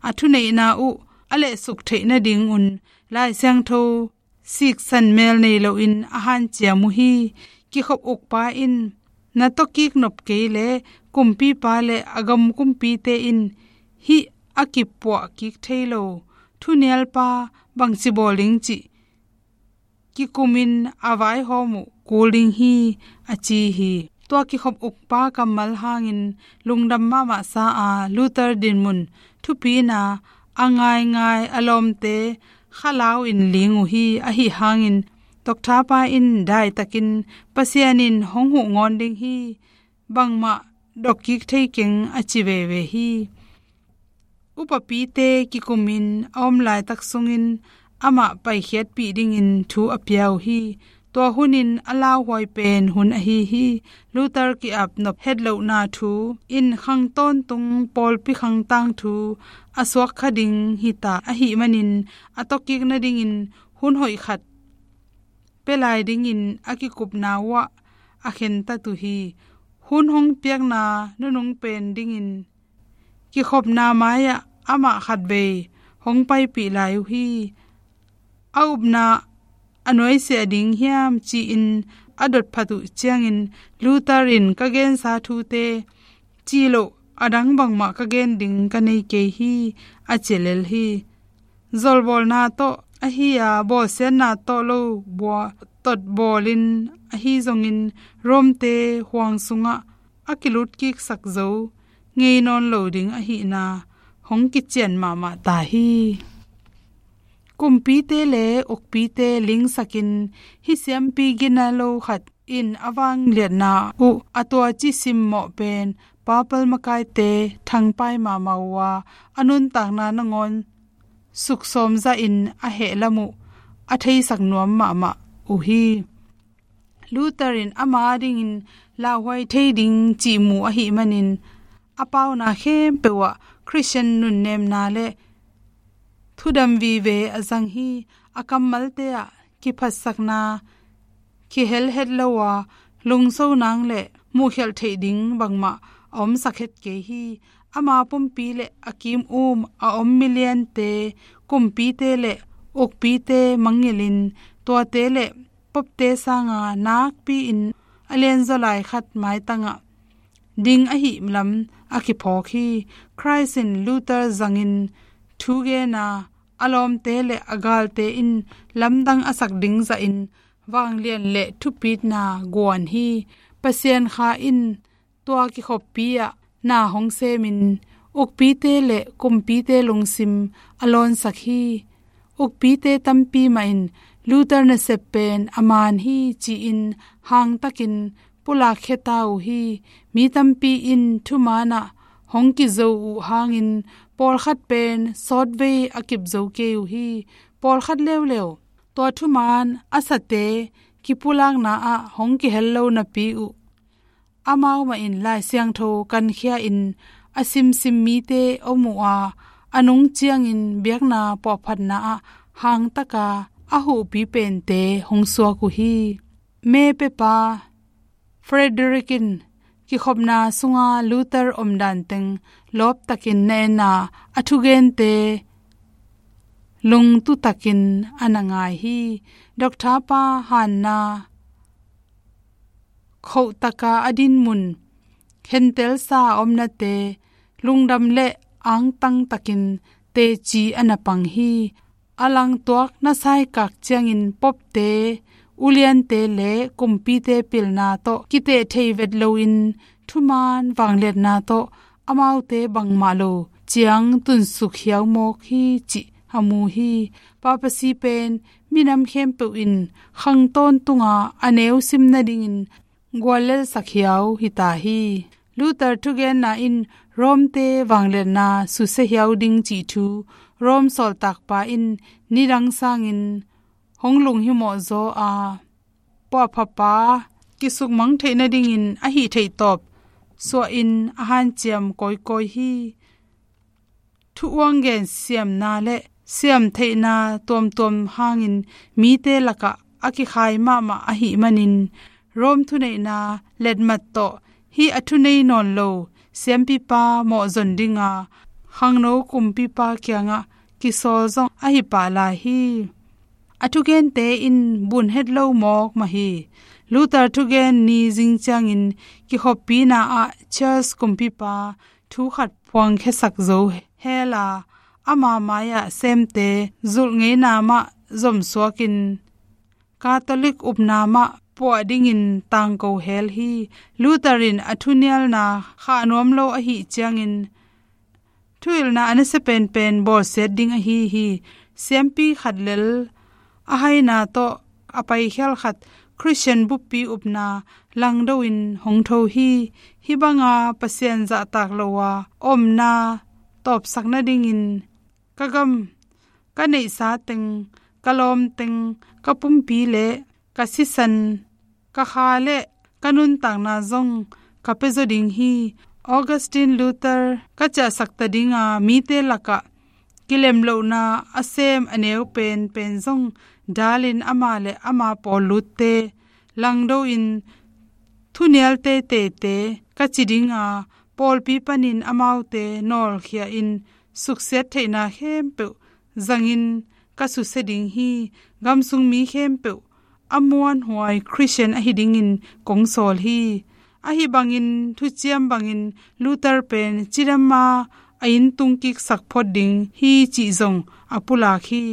a thuneihna uh a lehsuk theih nadingun Lai Siangtho siksan mel nei loin a hanciam uh hi. Kikhop ukpa in na tawkik nop kei le kumpipa le a gam kumpite in hih a kipuah kik thei lo thunialpa bangci bawl ding cih kikumin a vaihawm uh kul ding hi, a ci hi. Tua kikhop ukpa kammal hangin lungdam mahmah sa a, Luther dinmun thupina a ngaingai a lawmte khalau in ling uh hi. Ahi hangin Doctor pa in daitakin Pasian in hong huh ngawn ding hi, bangmah dokkik thei keng a ci veve hi. Upapite kikumin a om laitak sungin amah paikhiatpih dingin thu a pia uh hi. Tua hunin a lauhuai pen hun ahi hi. Luther ki-ap nop hetlohna thu in khang tawntung pawlpi khang tangthu a suak kha ding hita ahih manin a tawkik nadingin hun hoih khat pia lai dingin a kikupna uh ah a khentat uh hi. Hun hong piakna nunung pen dingin kikhopna mai-ah amah khatvei hong paipih lai uh hi. A upna a nuaisiah ding hiam ci-in a dotphat uh ciangin Luther in ka gensa thute ci loh a dang bangmah ka gen ding ka nei kei hi, a ci lel hi. Zolbawlna tawh ahi a bawlsiatna tawh lo bua totbawlin ahi zongin Rome-te huang sungah a kilutkiksak zo ngei nawn lo ding ahihna hong kician mahmah ta hi. Kumpite le ukpite lingsakin hih siampi gina lo khat in a vangliatna uh a tuaci simmawh pen papal makaite thangpai mahmah uh a, a nuntakna nangawn suksawm zahin a hehlam uh a theisak nuam mahmah uh hi. Luther in ama dingin lauhuai thei ding cihmu ahih manin a pauna khempeuh ah Khristian nunnemna le thudam vive a zang hi. A kammalte ah kiphatsakna kihel het lo a, lungso nang le muhkhialh theih ding bangmah a omsak het kei hi. Ama pumpi le a kim um a om miliante, kumpite le ukpite mangngilhin tuate le popte sanga nakpi-in a lianzaw lai khat maitangah ding ahih lam a kiphawk hi. Khrist in Luther zangin thu gen a, a lawmte le a galte in lamdang a sak ding zahin vanglian le thupitna guan hi. Pasian Kha in tua kikhoppi ah na hong semin ukpite le kumpite lungsim a lawnsak hi. Ukpite tampi mah in Luther nasep pen a man hi ci-in hangtakin pulakkhia ta uh hi. Mi tampi in thuman ah hong kizo uh hangin pawlkhat pen sawtvei a kipzo kei uh hi. Pawlkhat leuleu tua thuman a sate kipulakna ah hong kihel lo napi uh amau mah in Lai Siangtho kankhia-in a simsim mite om uh a, a nung ciangin biakna puahphatna ah hangtaka a huhpi pente hong suak uh hi. Mepiapa Frederick in kikhopna sunga Luther omdan teng lawptakin na en a, a thugente lungtutakin a na ngai hi. Doctor pa hanna khohtaka a dinmun, khentelsa a omnate lungdam le angtangtakin teci a na pang hi. A langtuak na saikak ciangin popte, uliante le kumpite pilna tawh kiteh thei vet loin thuman vangliatna tawh amaute bangmah lo ciang tunsuk hiaumawk hi cih a mu hi. Papasi pen minam khempeuh in khang tawntunga a neu sim nadingin guallelsak hiau hita hi. Luther thugenna in Rome-te vangliatna susia hiau ding cih thu Rome sawltakpa in nidang sangin hong lunghimawh zaw a, puahphapa kisukmang theih nadingin a hih theihtawp suahin a hanciam kawikawi hi. Thu uanggen siamna le siamtheihna tuamtuam hangin mite lakah a kikhai mahmah ahih manin Rome thuneihna letmat tawh hih a thunei nawn lo siampipa mawhzon dinga khangno kumpipa kiangah kisawl zong ahi pah lai hi. A thugente in bun het lo mawk mah hi. Luther thugen ni zing ciangin kikhoppina ah Charles kumpipa thu khat phuangkhiasak zo hela, ama mai-ah semte zulh ngeina mah zomsuakin Catholic upna mah puah dingin tangko hel hi. Luther in a thunialna khah nuam lo ahih ciangin thuhilhna a nasia penpen bawlsiat ding ahi hi. Siampi khat lel a haina tawh a paikhial khat Khristian buppi upna langdo in hong tho hi. Hih banga Pasian zahtak lo a omna tawpsak nadingin ka gam, ka neihsa teng, ka lawm teng, ka pumpi le ka sisan, ka kha le ka nuntakna zong ka pia zaw ding hi. Augustine Luther ka ciahsak ta dinga mite lakah kilemlohna a sem a neu penpen zong dalin ama le ama pawl lutte langdo in thunial teiteite ka ci dinga, pawlpi panin amaute nawlkhia in suksiat theihna khempeuh zangin ka susia ding hi. Gamsung mi khempeuh a muanhuai Khristian ahi dingin kong sawl hi. Ahi bangin thuciam bangin Luther pen cidama a inn tungkiksak phot ding hi cih zong a pulak hi.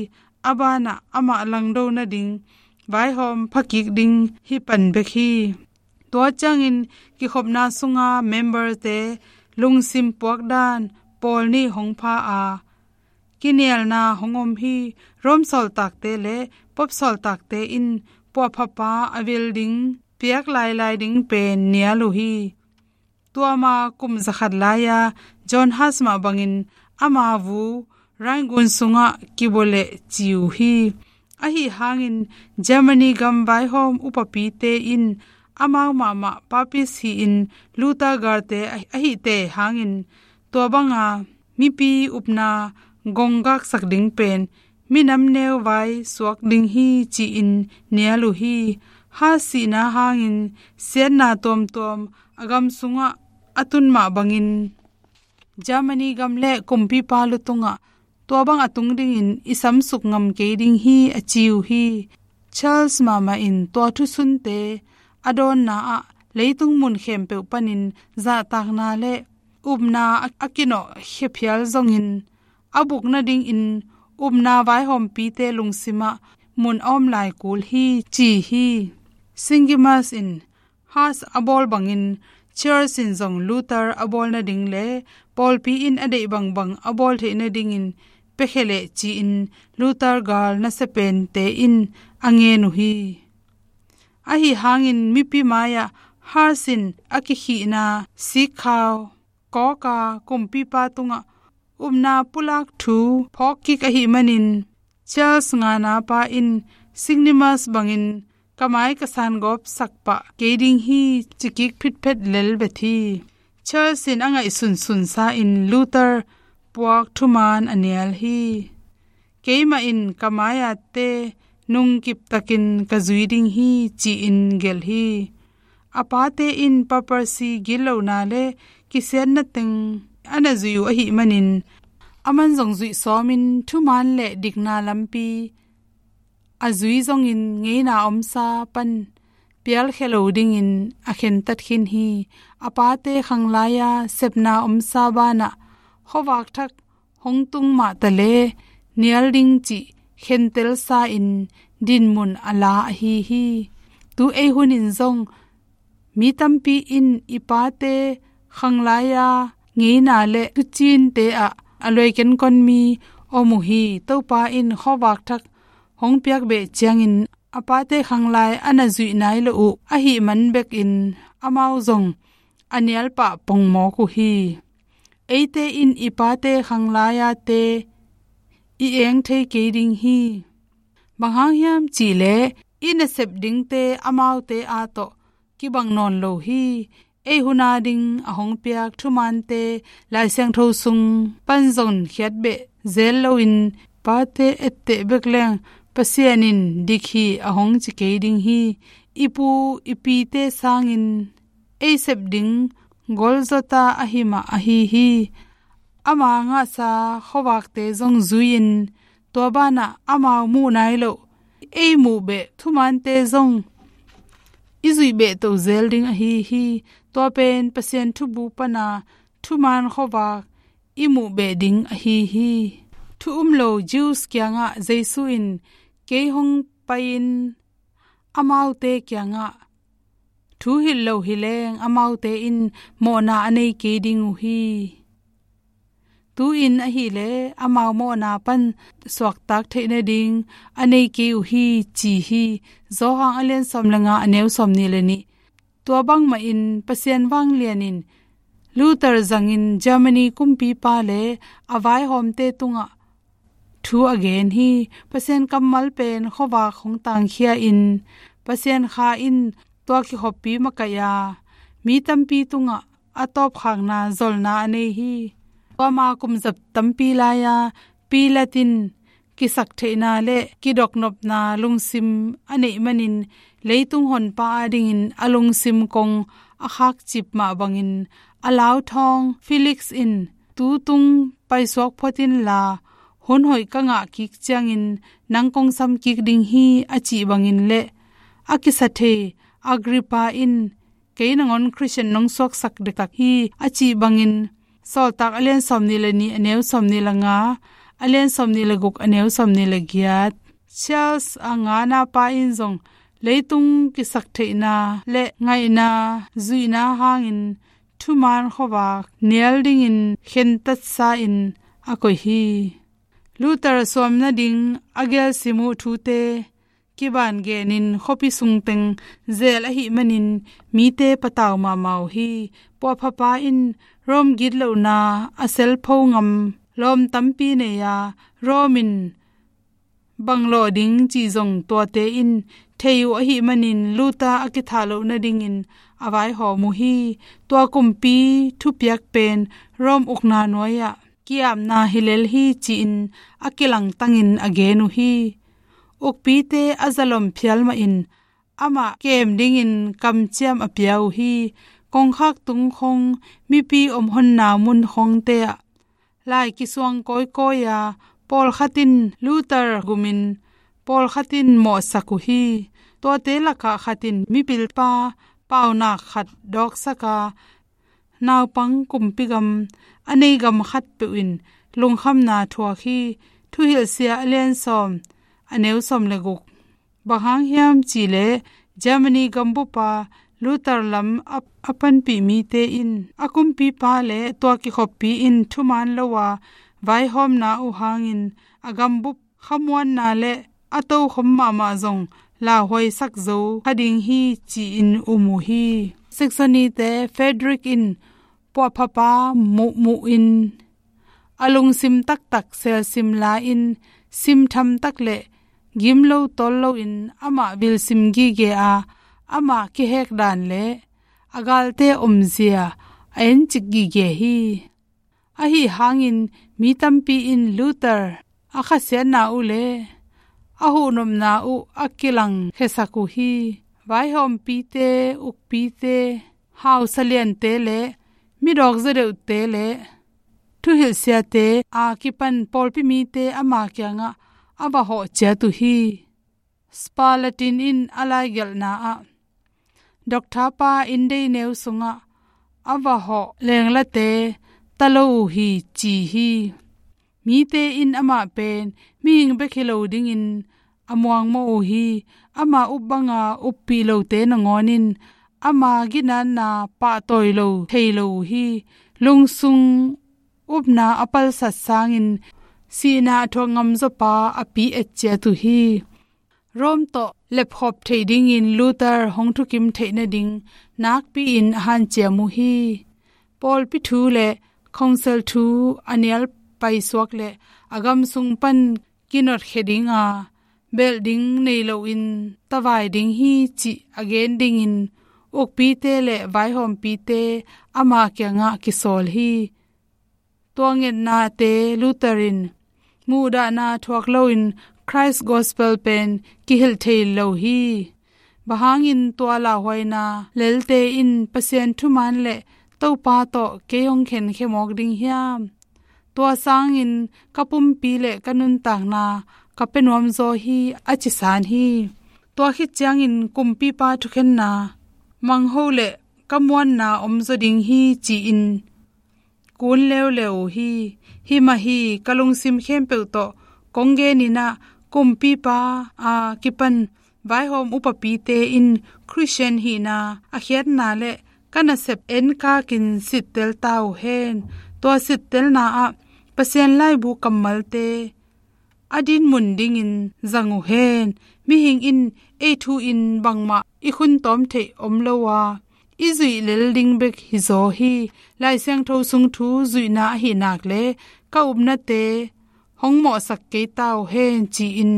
A banah amah langdo nading vaihawm phakik ding hi pan bek hi. Tua ciangin kikhopna sunga memberte lungsim puakdan pawl nih hong pha a, kinialna hong om hi. Rome sawltakte le Pope sawltakte in puahphapa a vil ding piak lailai ding pen nial uh hi. Tuama kum zakhat lai-a John Huss mah bangin ama vu Rhine gun sungah kibua leh ci uh hi. Ahi hangin Germany gam vaihawm upapite in amau mahmah papis hi-in Luther galte ahihte hangin tua banga mipi upna gonggaksak ding pen minam neu vai suak ding hi ci-in nial uh hi. Huss sihna hangin siatna tuamtuam a gam sungah a tun mah bangin Germany gam le kumpipa lu tungah tua bang a tung dingin i samsuk ngam kei ding hi a ci uh hi. Charles mahmah in tua thusunte a dawnna ah leitung mun khempeuh panin zahtakna le upna a, a kinawh khia phial zongin a buk nadingin upna vaihawmpite lungsimah mun a om lai kul hi ci hi. Singimus in Huss a bawl bangin Charles in zong Luther a bawl nading le pawlpi in a deih bangbang a bawl theih nadingin piakhia leh ci-in Luther gal nasia pente in a ngen uh hi. Ahi hangin mipi mai-ah Huss in a kikhihna sikkhau kawka kumpipa tungah upna pulak thu phawkkik ahih manin Charles ngana pa in Singimus bangin ka mai ka sangawp sakpah kei ding hi cikik phitphet lel vet hi. Charles in a ngaihsun sunsa in Luther puak thuman a nial hi. Keimah in ka mai-ate nungkiptakin ka zui ding hi ci-in gelh hi. A pate in papacy gitlohna le kisiatna teng a na zui uh ahih manin aman zong zuih sawmin thuman le dikna lampi a zui zongin ngeina omsa pan pialkhia lo dingin a khentat khin hi. A pate khanglai-a sepna omsa banah khuavak thak hong tung mahta le nial ding cih khentelsa in dinmun a la ahi hi. Tu ei hunin zong mi tampi in i pate khanglai-a ngeina le thucinte ah a luai kenkon mi om uh hi. Topa in khuavak thak hong piak beh ciangin a pate khanglai a na zuih nai lo uh ahih man bekin amau zong a nialpah pongmawk uh hi. Eite in i pate khanglai-ate i eng thei kei ding hi. Bang hang hiam cihleh i nasep dingte amaute a tawh kibang nawn lo hi. Ei hun a ding a hong piak thumaante Lai Siangtho sung pan zong khiat beh zel loin pate etteh bek leng Pasian in dik hi a hong ci kei ding hi. I pu i pite sangin ei sep ding Golgotha ahi mah ahi hi. Ama ngahsa khuavakte zong zui-in tua banah amau muh nai loh ei muh beh thumaante zong i zuih beh to zel ding ahi hi. Tua pen Pasian thubu pana thumaan khuavak i muh beh ding ahi hi. Thu um lo Jews kiangah Jesu in kei hong pai-in amaute kiangah thu hilh lo hi leng amaute in mawhna a nei kei ding uh hi. Tu-in ahileh amau mawhna pan suaktak theih nading a nei kei uh hi ci hi. Johan a lian sawm le nga a neu sawm nih le nih. Tua bangmahin Pasian vanglian in Luther zangin Germany kumpipa le a vaihawmte tungah thu a gen hi. Pasian kammal pen khuavak hong tangkhia-in Pasian Kha in tua kikhoppi makaih a mi tampi tungah a tawpkhakna zolna a nei hi. Tua ma kum zat tampi lai-a Pilat in kisaktheihna le kidoknopna lungsim a neih manin leitung honpa adingin a lungsim kong a khakcip mah bangin a lauthawng Felix in tu tung paisuak phot inla hun hoih ka ngah kik ciangin nang kong sam kik ding hi a cih bangin le a kisathei Agrippa in kei nangawn Khristian nong suaksak dektak hi a cih bangin Sawltak a lian sawm nih le nih a neu sawm nih le nga, a lian sawm nih le guk a neu sawm nih le giat. Charles a ngana pa in zong leitung kisaktheihna le ngaihna zuihna hangin thumaan khuavak nial dingin khentatsa-in a koih hi. Luther suam nading a gelsim uh thute kiban genin khuapi sungteng zel ahih manin mite patau mahmah uh hi. Puahphapa in Rome gitlohna a selpho ngam lawm tampi nei a, Rome in bang lawh ding cih zong tuate in thei uh ahih manin Luther a kithah loh nadingin a vaihawm uh hi. Tua kumpi thupiak pen Rome ukna nuai-ah ki-apna hi lel hi ci-in a kilangtangin a gen uh hi. Ukpite a zalom phial mahin amah kem dingin kamciam a pia uh hi. Kongkhak tung khong, mipi omhonna mun khongte ah lai kisuang kawikawi a, pawlkhat in Luther gumin pawlkhat in mawhsak uh hi. Tuate lakah khat in mipilpa paunak khat dawksak a, naupang kumpi gam a nei gam khatpeuh in lungkhamna thuak hi. Thuhilhsia a lian sawm a neu sawm le guk. Bang hang hiam cihleh Germany gambupa Luther lam a, a panpih mite in a kumpipa le tua kikhoppi in thumaan lo a vaihawmna uh hangin a gambup khamuanna le a tokhom mahmah zong lauhuaisak zo kha ding hi ci-in um uh hi. Saxony-te Frederick in puahphapa muhmuh in a lungsim taktak selsim la-in simtham tak le gim lo tawl loin amah vilsim gige a, amah kihek dan le a galte omzia a encik gige hi. Ahi hangin mi tampi in Luther a khasiatna uh le a huhnopna uh a kilangkhiasak uh hi. Vaihawmpite, ukpite, hausa liante le midawk zaw deuhte le thuhilhsiate a kipan pawlpi mite ama kiangah a va hawh ciat uh hi. Sparlatin in a laigelhna ah, Doctor pa in dei neu sungah a va hawh lenglate ta lo uh hi ci hi. Mite in amah pen mihing bek hi lo dingin a muangmawh uh hi. Ama up banga uppih lote nangawn in ama ginatna pahtawi lo thei lo uh hi. Lungsung upna a palsat sangin sihna a thuak ngam zawpa a pi et ciat uh hi. Rome tawh lepkhop theih dingin Luther hong thukim theih nading nakpi-in a hanciam uh hi. Pawlpi thu le Council thu a nial paisuak le a gam sung pan kinotkhia dinga, belh ding nei loin tavai ding hi cih a gen dingin ukpite le vaihawmpite ama kiangah kisawl hi. Tua ngetnate Luther in muhdahna thuak loin Christ Gospel pen kihilh thei lo hi. Bang hangin tua lauhuaina lelte in Pasian thuman le Topa tawh kei hong khenkhia mawk ding hiam? Tua sangin ka pumpi le ka nuntakna ka pia nuamzaw hi, a ci san hi. Tua khit ciangin kumpipa thukhenna mangho le ka muanna omzaw ding hi ci-in kun leuleu uh hi. Himah hi, ka lungsim khempeuh tawh kong genin ah kumpipa a kipan vaihawm upapite in Christian hihna a khiatna le ka nasep enkakin sittel ta uh hen. Tua sittelna ah Pasian laibu kammalte a dinmun dingin zang uh hen. Mihing in ei thu-in bangmah i khun tawm theih om lo a, i zuih lel ding bek hizaw hi. Lai Siangtho sung thu zuihna ahi nak le ka upnate hong mawhsak kei ta uh hen ci-in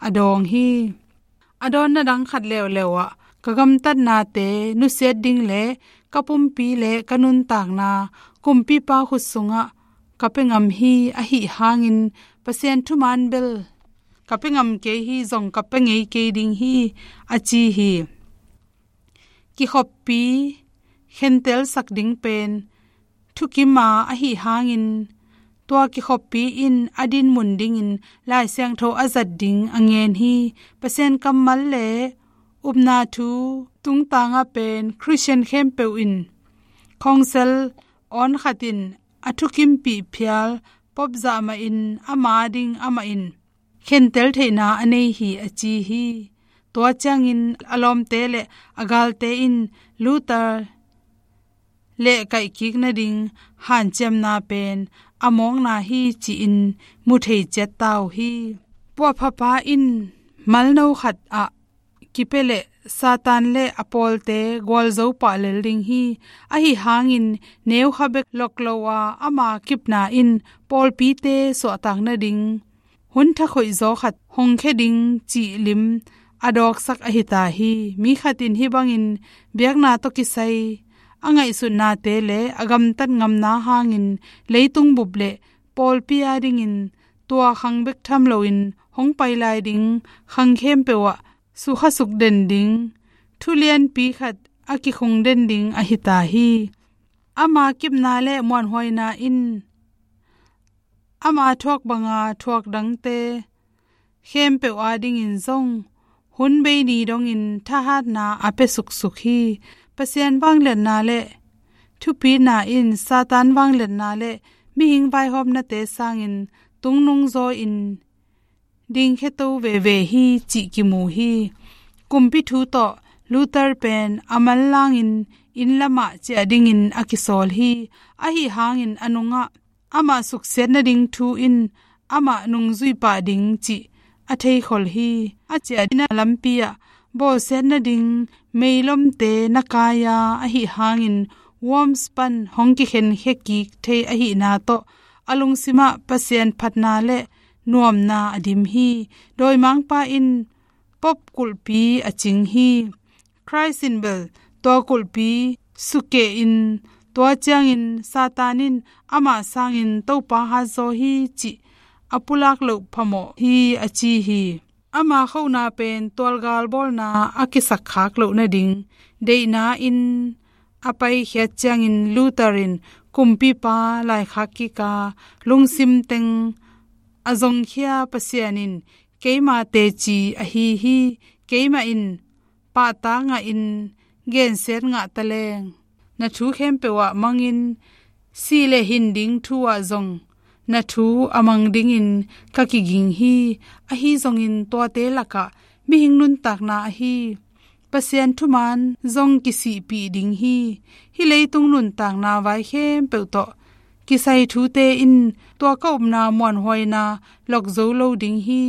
a dawng hi. A dawnna dang khat leuleu ah ka gamtatnate nusiat ding le ka pumpi le ka nuntakna kumpipa khut sungah ka pia ngam hi. Ahi hangin Pasian thuman bel ka pia ngam kei hi, zong ka pia ngei kei ding hi, a ci hi. Kikhoppi khentelsak ding pen thukima ahi hangin tua kikhoppi in a dinmun dingin Lai Siangtho a zat ding a ngen hi. Pasian kammal le upna thu tungtanga pen Christian khempeuh in Council awn khat in a thukimpih phial Pope zah mahin ama ding amah in khentel theihna a nei hi, a ci hi. Tua ciangin a lawmte le a galte in Luther lehkaih kik nading hanciamna pen a mawkna hi ci-in mu thei ciat ta uh hi. Puahphapa in malno khat ah kipia le Satan le a pawlte gualzo pah lel ding hi. Ahi hangin neukha bek lok lo a ama kipna in pawlpite suahtak nading hun thakhoih zaw khat hong khia ding cih lim a dawksak ahi ta hi. Mi khat in hih bangin biakna tawh kisai a ngaihsutnate le a gamtat ngamna hangin leitung bup le pawlpi a dingin tua khang bek tham loin hong pai lai ding khang khempeuh ah sukhasuk den ding thu lianpi khat a kikhung den ding ahi ta hi. Ama kipna le muanhuaina in ama thuak banga thuak dangte khempeuh a dingin zong hun bei ni dongin thahatna a pia suksuk hi. Pasian vangliatna le thupina in Satan vangliatna le mihing vaihawmnate sangin tungnung zaw in dingkhia to veve hi cih kimu hi. Kumpi thu tawh Luther pen a manlangin inn lamah ciah dingin a kisawl hi. Ahi hangin a nungah amah suksiat nading thu in amah nungzui pah ding cih a theikhol hi. A ciah dingna lampi ah bawlsiat nading meilomte na kai a, ahi hangin Worms pan hong kikhenkhia kik thei ahihna tawh a lungsimah Pasian phatna le nuamna a dim hi. Dawimangpa in Pope kulhpi a cing hi. Christ in bel tua kulhpi sukeh in tua ciangin Satan in amah sangin Topa hatzaw hi cih a pulak loh phamawh hi, a ci hi. Ama khona pen tualgal bawlna a kisakkhak loh nading deihna in a paikhiat ciangin Luther in kumpipa laikhak kik a lungsim teng a zongkhia Pasian in keima teci ahi hi. Keimah in pahtak ngahin gensiat ngah taleng na thu khempeuh ah mangin sih le hin ding thu ah zong na thu a mang dingin ka kiging hi. Ahi zongin tuate lakah mihing nuntakna ahi Pasian thuman zong kisihpih ding hi. Hih leitung nuntakna vai khempeuh tawh kisai thute in tua ka upna muanhuaina lok zo lo ding hi.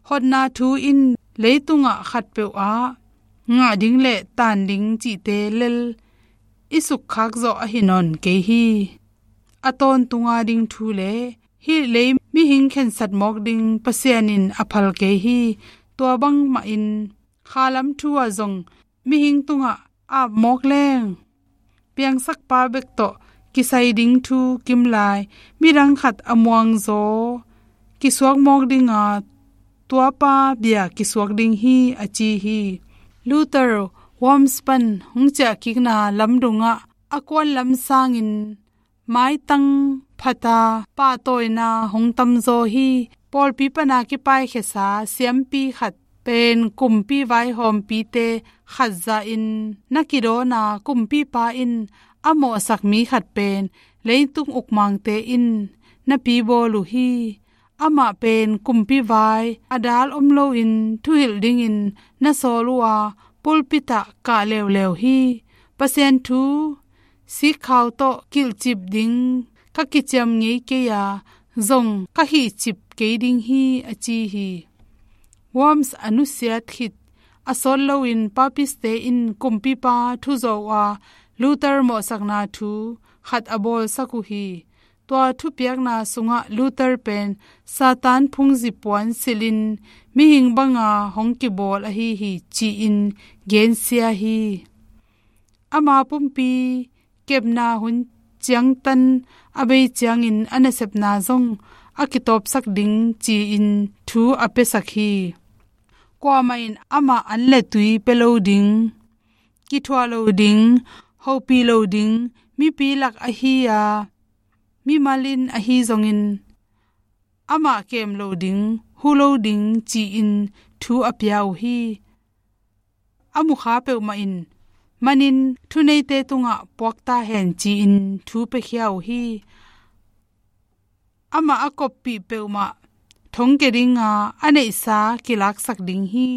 Hotna thu in leitungah khatpeuh ah ngah ding le taan ding cihte lel i sukkhak zawh ahi nawn kei hi. A tawntunga ding thu le hih lei mihing khensat mawk ding Pasian in a phal kei hi. Tua bangmahin khalam thu ah zong mihing tungah ap mawk leng, piangsakpa bek tawh kisai ding thu kimlai, midang khat a muangzaw kisuak mawk dinga tuapa bia kisuak ding hi, a ci hi. Luther Worms pan hong ciahkikna lamdungah a kuan lam sangin maitang phata pahtawina hong tamzaw hi. Pawlpi pana kipaikhesa siampi khat pen kumpi vaihawmpite khat zahin na kidawna kumpipa in a mawhsak mi khat pen leitung ukmangte in na pibawl uh hi. Amah pen kumpi vai a dal om loin thuhilh dingin na sawl uh a, pulpit ah kah leuleu hi. Pasian thu sikkhau tawh kilhcip ding ka kiciam ngei kei a, zong ka hihcip kei ding hi, a ci hi. Worms a nusiat khit a sawt loin papiste in kumpipa thu zawh uh a, Luther mawhsakna thu khat a bawlsak uh hi. Tua thupiakna sungah Luther pen Satan phungzi puan silhin mihing banga hong kibawl ahi hi, ci-in gensia hi. Ama pumpi kepna hun ciangtan a bei ciangin a nasepna zong a kitawpsak ding ci-in thu a piasak hi. Kuamah in amah an le tui pia lo ding, kithuah lo ding, hopih lo ding, mipi lak ahi a, mimal in ahi zongin amah kem lo ding, hu lo ding ci-in thu a pia uh hi. A mukha peuhmah in manin thuneite tungah puakta hen ci-in thu piakhia uh hi. Amah a koppih peuhmah thongkia dinga a neihsa kilaksak ding hi.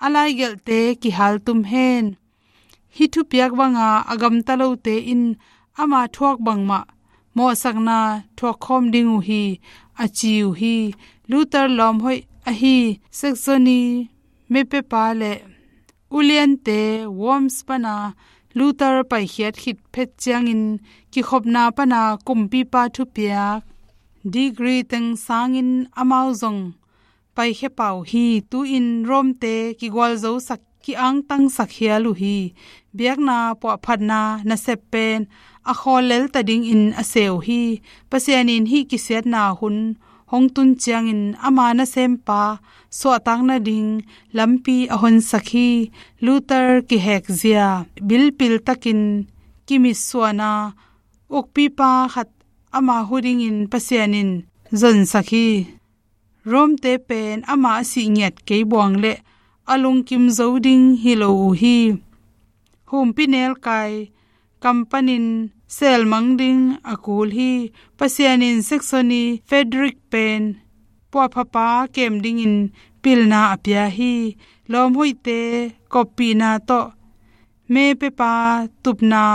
A laigelhte kihaltum hen. Hih thupiak banga a gamta lote in ama thuak bangmah mawhsakna thuakkhawm ding uh hi, a ci uh hi. Luther lawmhoih ahi Saxony mepepa le uliante Worms pana Luther paikhiat khit phet ciangin kikhopna pana kumpipa thupiak degree teng sangin amau zong paikhia pah uh hi. Tu-in Rome-te kigualzosak, kiangtangsak hial uh hi. Biakna puahphatna nasep pen a khawl lelta dingin a se uh hi. Pasian in hih kisiatna hun hong tun ciangin ama nasempa suahtak nading lampi a honsak hi. Luther kihekzia bilpiltakin kimitsuana ukpipa khat ama hu dingin Pasian in zonsak hi. Rome-te pen ama a sih ngiat kei buang le a lungkim zo ding hi lo uh hi. Humpi nelkai kam panin selmang ding a kul hi. Pasian in Saxony Frederick pen puahphapa kem dingin pilna a pia hi. Lawmhoihte koppihna tawh mepepa tupna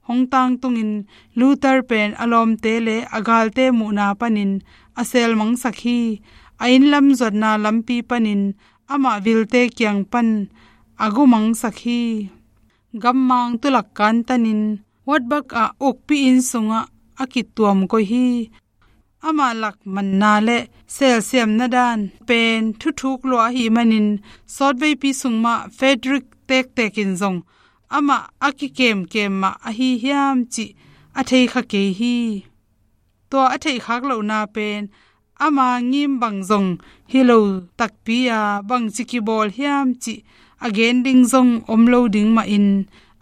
hong tangtungin Luther pen a lawmte le a galte muhna panin a selmangsak hi. A innlam zuatna lampi panin amah vilte kiang pan a gumangsak hi. Gammang tulak kantanin Wartburg ah ukpi inn sungah a kituam koih hi. Amah lak manna le selsiamna dan pen thuthuk lua ahih manin sawtveipi sung mah Frederick tektek in zong amah a kikemkem mah ahi hiam cih a theikha kei hi. Tua a theihkhak lohna pen ama ngim bang zong hi lo takpi a, bangci kibawl hiam cih a gen ding zong om lo ding mahin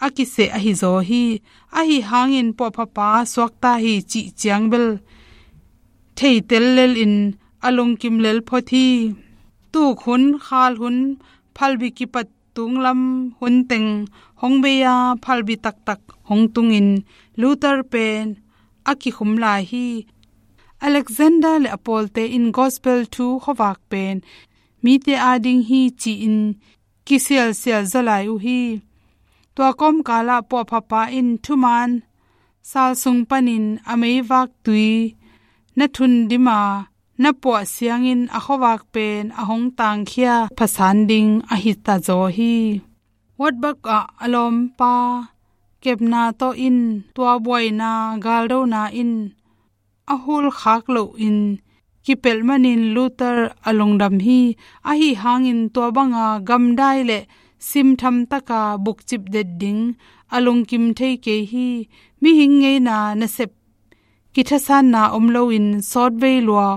a kiseh ahi zaw hi. Ahi hangin puahphapa suakta hi cih ciang bel theitel lelin a lungkim lel phot hi. Tuk hun, khal hun, phalbi kipat tunglam hun teng hong bei a, phalbi taktak hong tungin Luther pen a kikhum lai hi. Alexander le a pawlte in gospel thu khuavak pen mite ading hi ci-in kisialsial zaw lai uh hi. Tua kawmkalah puahphapa in thuman sal sung panin a meivak tui na thun dima na puah siangin a khuavak pen a hong tangkhia phasan ding ahi ta zaw hi. Wartburg ah a lawmpa kepna tawh in tua buaina galdona in a hulkhak lohin kipelh manin Luther a lungdam hi. Ahi hangin tua banga gamdai le simtham taka bukcip det ding a lungkim thei kei hi. Mihing ngeina nasep kithasanna om loin sawtvei lua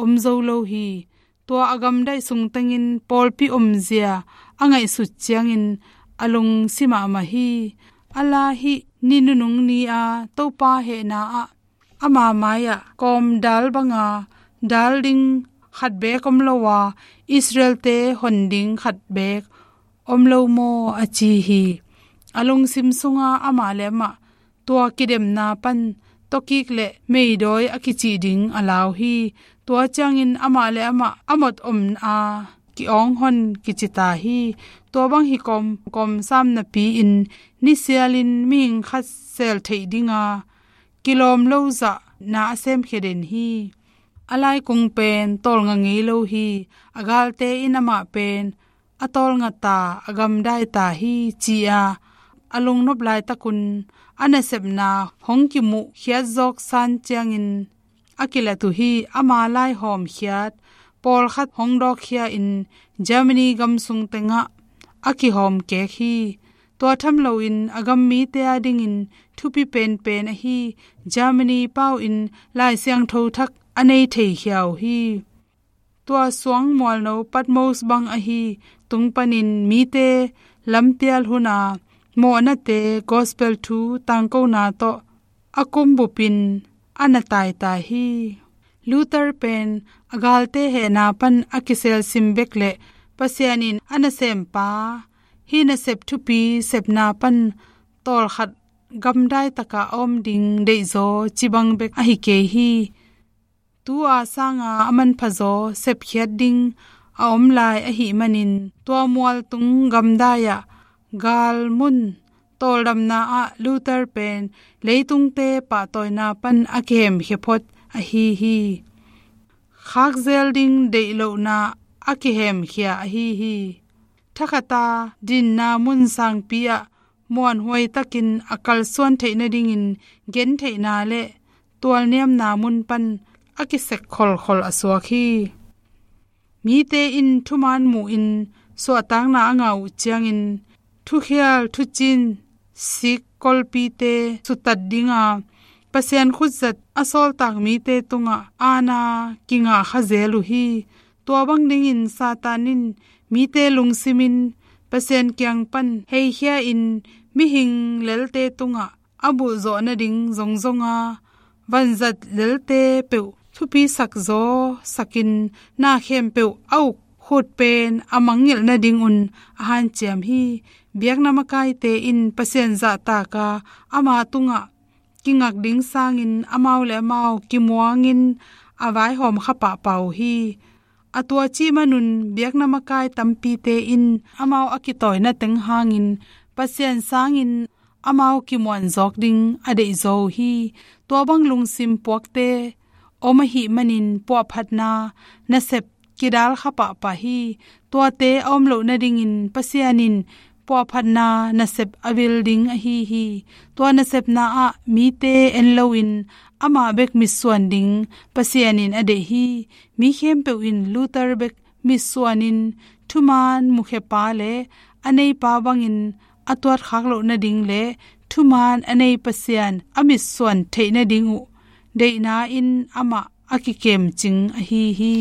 om zo lo hi. Tua a gamdaih sung tengin pawlpi omzia a ngaihsut ciangin a lungsi mahmah hi. A la hih ni nunung ni-a Topa hehna ah ama mai-ah kawm dal banga dal ding khat beek om lo a, Israel-te hon ding khat beek om lo maw a ci hi. A lungsim sunga amah le amah tua kidemna pan tawkik le meidawi a kicih ding a lau hi. Tua ciangin amah le amah a mot om a ki-awng hon kici ta hi. Tua bang hi kawm, kawm sam napi-in nisialin mihing khat sel theih dinga kilawm lo zahna a semkhia den hi. A laikung pen tawlnga ngei lo hi. A galte in amah pen a tawlnga ta, a gamdai ta hi, ci-a a lungnop laitakun a nasepna hong kimuh khiat zawk san ciangin a kilat uh hi. Ama laihawm khiat pawlkhat hong dawkkhia in Germany gam sung tengah a kihawm kek hi. Tua tham loin a gam mite a dingin thupi penpen ahi Germany pau in Lai Siangtho thak a nei theikhia uh hi. Tua suang mualno Patmos bang ahi tung panin mite lampial huna mawhnate gospel thu tangkona tawh a kumbupin a na taitai hi. Luther pen a galte hehna pan a kiselsim bek le Pasian in a nasempa hih nasep thupi sepna pan tawlkhat gamdai taka a om ding deihzaw cibang bek ahi kei hi. Tu-a sanga a manphazaw sepkhiat ding a om lai ahih manin tua mualtung gamdai-ah galmun tawldamna ah Luther pen leitungte pahtawina pan a kihemkhia phot ahi hi. Khakzel ding deihlohna a kihemkhia ahi hi. Thakhata dinna mun sangpi-ah muanhuai takin a kalsuan theih nadingin gentheihna le tualniamna mun pan a kisek kholkhol a suak hi. Mite in thuman muhin suahtakna a ngah uh ciangin thukhial thucin sik kolpite sutat dinga Pasian khutzat a sawltak mite tungah aana kingah khazel uh hi. Tua bang dingin Satan in mite lungsimin Pasian kiang pan heikhia in mihing lelte tungah a bulhzawh nading zongzonga vanzat lelte peuh thupisak zawsakin na khempeuh a uk khut pen a mangngilh nadingun a hanciam hi. Biakna makaite in Pasian zahtaka ama tungah kingak ding sangin amau le amau kimuangin a vaihawm kha pahpah uh hi. A tua cih manun biakna makai tampite in amau a kitawina teng hangin Pasian sangin amau kimuan zawk ding a deihzaw uh hi. Tua bang lungsim puakte om ahih manin puahphatna nasep kidal kha pahpah hi. Tuate a om loh nadingin Pasian in puahphatna nasep a vil ding ahi hi. Tua nasepna ah mite en loin amah bek mitsuan ding Pasian in a deih hi. Mi khempeuh in Luther bek mitsuanin thuman mukhiapa le a neipa bangin a tuatkhak loh nading le thuman a nei Pasian a mitsuan theih nading uh deihna in amah a kikemcing ahi hi.